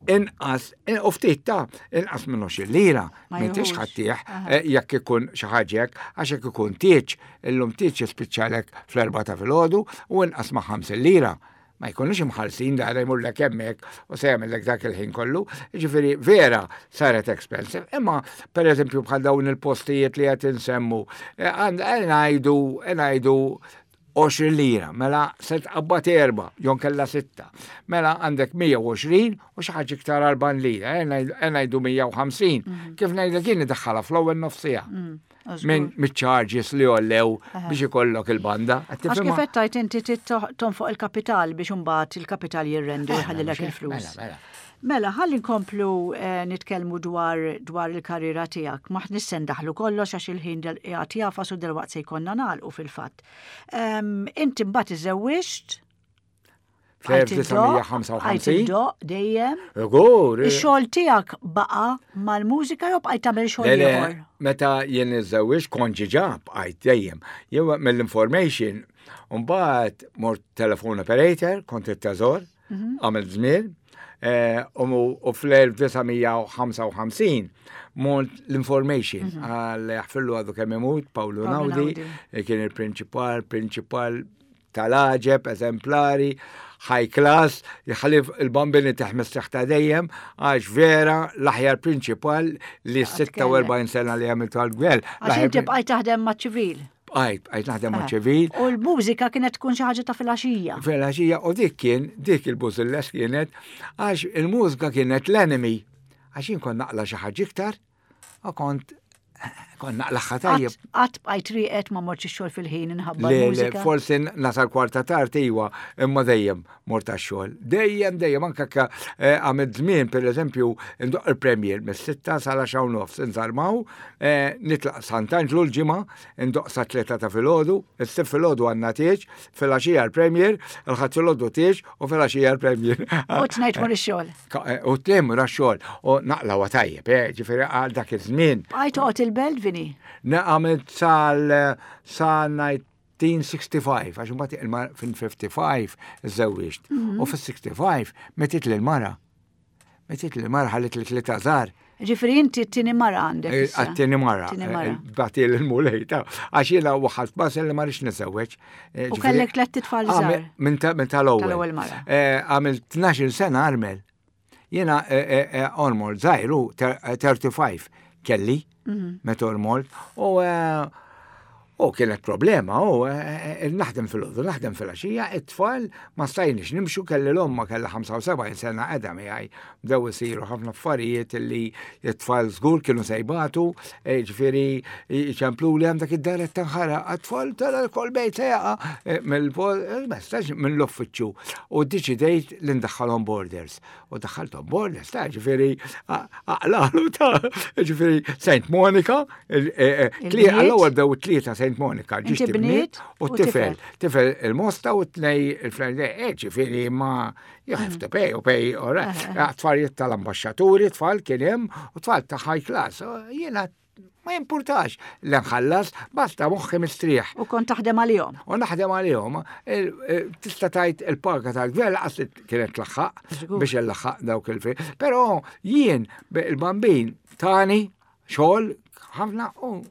inqas, u ftit ta' inqas minn għoxrin lira, Ma m'intix jieħux. ħa ttih, eh, jekk ikun xi ħaġa hekk, għax jekk ikun tieġ, illum tieġ jispiċċalek fl-erba ta' filgħodu u inqas ma' ħamsin lira. Ma jkunux imħallsin da jmurlek hemmhekk u se jagħmellek dak il-ħin kollu. Ġifieri vera saret expensive. Imma per eżempju bħal dawn il-postijiet li qed insemmu, eh, għand- eh, ngħidu ngħidu għoxrin lira, mela se tqabbad erba, jon kella sitta. Mela għandek mija u għoxrin u xi ħaġa iktar erbgħin lira, eh, ngħidu mija u ħamsin. Kif ngħidlek jien iddaħħalha fl-ewwel nofsija. Minn mit-charges li għollew biex ikollok il-banda. Qed Għax tifhimha? kif qed tgħid inti trid tonfoq il-kapital biex imbagħad il-kapital jirrendi u jħallilek il-flus. Mela, mela. Mela, ħalli nkomplu eh, nitkellmu dwar dwar il-karriera tiegħek. Ma nissen daħlu kollox għax il-ħin del qiegħed jafas u delwaqt se jkollna nagħlqu fil-fatt. Em, Inti mbagħad iżewwiġt Fl-elf disa' mija ħamsa u ħamsin. Iddoqq dejjem. Żgur. Ix-xogħol tiegħek baqa' mal-mużika jew bqajt tagħmel xogħol Le, le, ieħor? meta jien iżżewwiġt kont ġiġa bqajt dejjem. Jew mill-information, mbagħad mort telephone operator, kont it-teżor, għamilt żmien, eh, u u fl-elf disa' mija ħamsa u ħamsin mort l-information għal jaħfirlu għadu kemm imut, Paolo Paolo Naudi, Naudi. eh, kien il-prinċipal, prinċipal tal-għaġeb, eżemplari, high class, jħalif il-bambini taħmis ta' dejjem, għax vera l-aħjar prinċipal li sitta u erbgħin sena li għamiltu għal-gwel. Għax inti bqajt taħdem ma' ċivil. Bqajt, bqajt naħdem ma' ċivil. U l-mużika kienet tkun xi ħaġa ta' filgħaxija. Filgħaxija, u dik kien, dik il-bużilles kienet, għax il-mużika kienet l-enemy. Għax jien kont naqla xi ħaġa iktar, u kont Kont naqlagħha tajjeb. Qatt bqajt rieqed, ma mortx ix-xogħol fil-ħin inħabba Le, le, l-mużika? Forsi nasal kwarta tard iwa, imma dejjem mort għax-xogħol. Dejjem, dejjem, anka ka eh, għamilt żmien, per eżempju, ndoqq il-premier mis-sitta sal-għaxra u nofs, nżarmaw, eh, nitlaq Sant'Anġlu l-Ġimgħa, ndoqq sa tlieta ta' filgħodu, is-Sibt filgħodu għandna tieġ, filgħaxija l-premier, il-Ħadd filgħodu tieġ u filgħaxija l-premier. U t-tnejn tmur ix-xogħol. Ka- eh, U t-tnejn għax-xogħol, u naqlgħu tajjeb, eh, ġifieri għal dak iż-żmien. Bqajt toqgħod il-Belt, Vini? Għamilt sal sa elf disa' mija u ħamsa u sittin, għax mbagħad il-mar fil-ħamsa u ħamsin iżżewwiġt. U fil-ħamsa u sittin mietet il-mara. Mietet il-mara, ħalliet li tlieta żgħar. Ġifieri inti t-tieni mara għandek issa. Għat-tieni mara. Tieni mara. Bagħathieli l-Mulej ta' għax jiena waħalt bas li ma rridx niżżewweġ. Eh, U ġifieri- kellek tlett itfal Għamil- żgħar. Minn ta- minn tal-ewwel. Tal-ewwel mara. Eh, Għamilt tnax-il sena armel. Jiena ormol żgħir, tlieta u tletin kelli, Mhm. meta ormolt, u eh, u kienet problema, u eh, eh, naħdem fil-għodu, naħdem fil-għaxija, it-tfal ma stajniex nimxu, kelli l-omma kella ħamsa u sebgħin sena qiegħda miegħi, bdew isiru ħafna affarijiet li it-tfal żgur kienu se jbatu, eh, ġifieri ċemplu li għandak id-dar qed tinħaraq, għat-tfal tal-kol bejt se jaqa' eh, mill-messaġġ mill-uffiċċju u deċidejt li ndaħħalhom boarders. U daħħalthom boarders, ta' ġifieri aqlalu ta' ġifieri Saint Monica, il- eh, eh, Il-bniet? għall-ewwel bdew tlieta Saint Monica, Inti ġiġt bniet u u tifel. tifel. Tifel il-Mosta u tnej il-French, eh, ġifieri ma you have to pay, u pay, all right. Tfalijiet tal-ambasċaturi, tfal kien hemm, u tfal ta' high class. U jiena ma jimpurtax li nħallas, basta moħħi mistrieħ. U kont taħdem għalihom. U naħdem għalihom, il- il- tista' tgħid il-paga tal-gvern laqas li kienet tlaħħaq Żgur. biex illaħħaq dawk il-fi. Però jien il-Bambin tani xogħol ħafna u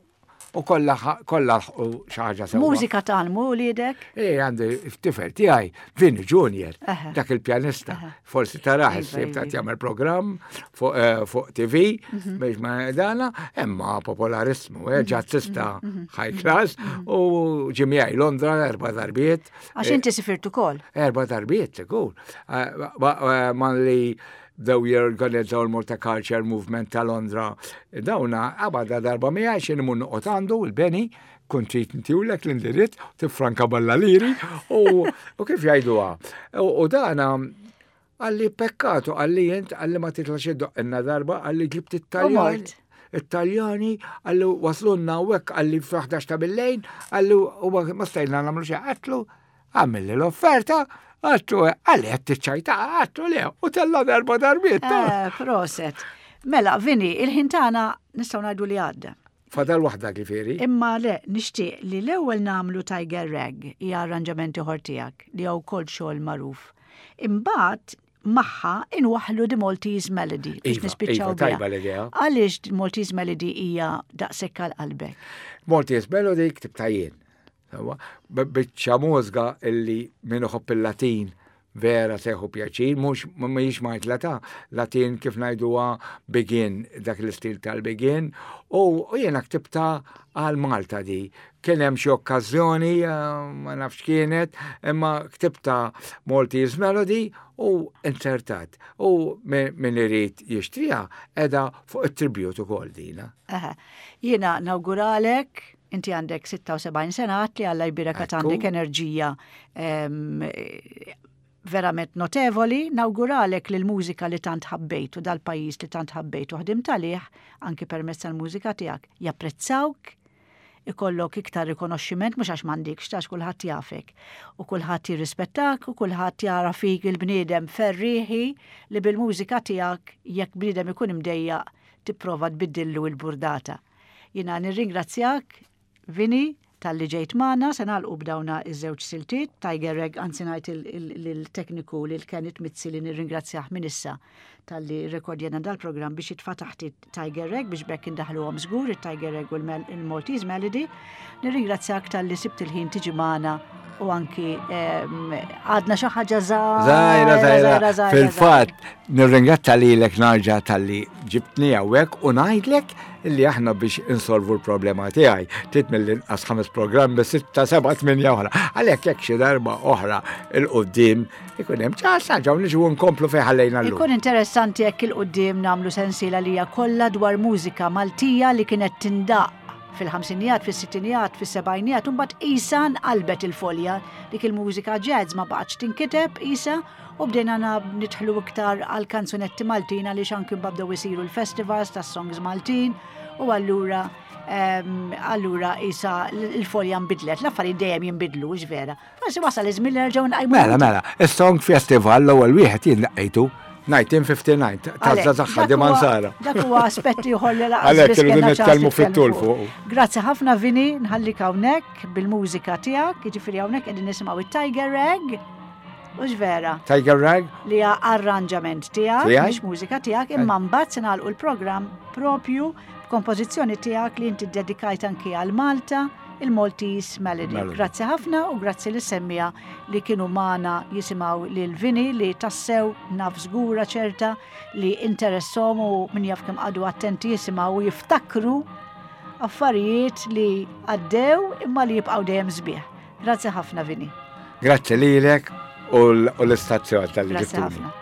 u kollha kollha u xi ħaġa sewwa. Mużika tgħallmu wliedek? Eh, għandi tifel tiegħi, Vini Junior, Aha. dak il-pjanista. Forsi tarah Iva, issib ta' iva. jagħmel programm fuq eh, fuq T V Mhm. biex ma dana, imma popolarissmu, eh, ġazzista Mhm. high class u ġie miegħi Londra erba' darbiet. Għax inti sifirt ukoll. Erba' darbiet, sikur. Eh, ma- eh, Ma li bdew jorganizzaw il-Malta Culture Movement ta' Londra. Dawna, għabada darba miegħi xi imur noqgħod għandu il-Beni, kont trid intihielek l-indirizz, tifranka balla liri, u u kif jgħiduha. U u dana qalli pekkato, qalli jent, qalli ma titlax iddoqqilna darba, qalli ġibt it-Taljan. mort. It-Taljani, qalli waslunna u hekk, qalli f-ħdax ta' billejl, qalli u ma ma stajna nagħmlu xejn, għedtlu, għamilli l-offerta, għedtlu, qalli qed tiċċajta, għedtlu le, u tella darba darbiet. ta' Eh, Proset. Mela, Vini, il-ħin tagħna nistgħu ngħidu li għadda. Fadal waħda ġifieri. Imma le, nixtieq li l-ewwel nagħmlu Tiger Rag, hija arranġamenti ieħor tiegħek li hawn kol xogħol magħruf. Imbagħad magħha inwaħlu The Maltese Melody biex Iva, nispiċċaw iva, biha. tajba l-idea. Għaliex The Maltese Melody hija daqshekk għal qalbek? Maltese Melody ktibtha jien. Sewwa, b- Biċċa mużika illi min iħobb il-Latin vera se jieħu pjaċir, mhux mhijiex majtla ta' Latin kif ngħiduha bigin, dak l-istil tal-bigin, u u jiena ktibtha għal Malta di. Kien hemm xi okkażjoni, eh, ma nafx kienet, imma ktibtha Maltese Melody u insertat. U min min irid jixtriha qiegħda fuq it-tribute ukoll dina. Aha. Jiena nawguralek, inti għandek sitta u sebgħin sena, għedt li Alla jbierek Ekku. għandek enerġija em, verament notevoli, nawguralek li l-mużika li tant ħabbejt u dal-pajjiż li tant ħabbejt u ħdimt għalih, anki permezz tal-mużika tiegħek, japprezzawk, ikollok iktar rikonoxximent, mhux għax m'għandikx, għax kulħadd jafek. U kulħadd jirrispettak u kulħadd jara fik il-bniedem ferriħi li bil-mużika tiegħek, jekk bniedem ikun imdejjaq, tipprova tbiddillu il-burdata. Jiena nirringrazzjak, Vini, talli ġejt magħna, se nagħlqu b'dawna iż-żewġ siltiet, Tiger Rag, anzi ngħid il-tekniku lil Kenneth Mizzi li nirringrazzjah minn issa talli rekordjana dal-programm biex jitfa' taħt Tiger Rag biex bekk indaħluhom żgur it-Tiger Rag u l-Maltese Melody. Nirringrazzjak talli sibt il-ħin tiġi magħna u anki għadna xi ħaġa Żgħira, żgħira, fil-fatt, Nirringrazzja lilek nerġa' talli ġibtni hawnhekk u ngħidlek illi aħna biex insolvu l-problema tiegħi trid mill-inqas ħames programmi, sitta, seba', tminja oħra. Għalhekk jekk xi darba oħra 'l quddiem ikun hemm ċans nerġgħu niġu nkomplu fejn ħallejna llum. Ikun interessanti jekk 'il quddiem nagħmlu sensiela li hija kollha dwar mużika Maltija li kienet tindaq fil-ħamsinijat, fis-sittinijat, fis-sebgħinijat, u mbagħad isa nqalbet il-folja, dik il-mużika jazz ma baqgħetx tinkiteb isa u bdejna nidħlu iktar għal kanzunetti Maltin għaliex anki bdew isiru l-festivals tas-songs Maltin u allura allura isa l-folja nbidlet, l-affarijiet dejjem jinbidlu, vera. Forsi wasal iż-żmien li nerġgħu nqajmu. Mela, mela, is-Song Festival l-ewwel wieħed jien daqqejtu elf disa' mija u ħamsa u disgħin ta' Di Mansara. Dak huwa aspetti ieħor li lanqas. Għalhekk irridu nitkellmu fit-tul fuq. Grazzi ħafna, Vini, nħallik hawnhekk bil-mużika tiegħek, jiġifieri hawnhekk qegħdin nisimgħu it-Tiger Rag. Hux vera? Tiger Rag? Li hija arranġament tiegħek, mhux mużika tiegħek, imma mbagħad se nagħlqu l-programm propju b'kompożizzjoni tiegħek li inti dedikajt anki għal Malta, il-Maltese Melody. Grazzi ħafna u grazzi lis-semmiegħa li kienu magħna jisimgħu lil Vini li tassew naf żgura ċerta li interessahom u min jaf kemm qagħdu attenti jisimgħu u jiftakru affarijiet li għaddew imma li jibqgħu dejjem sbieħ. Grazzi ħafna, Vini. Grazzi lilek u l-istazzjon talli Grazzi ħafna. Ħafna.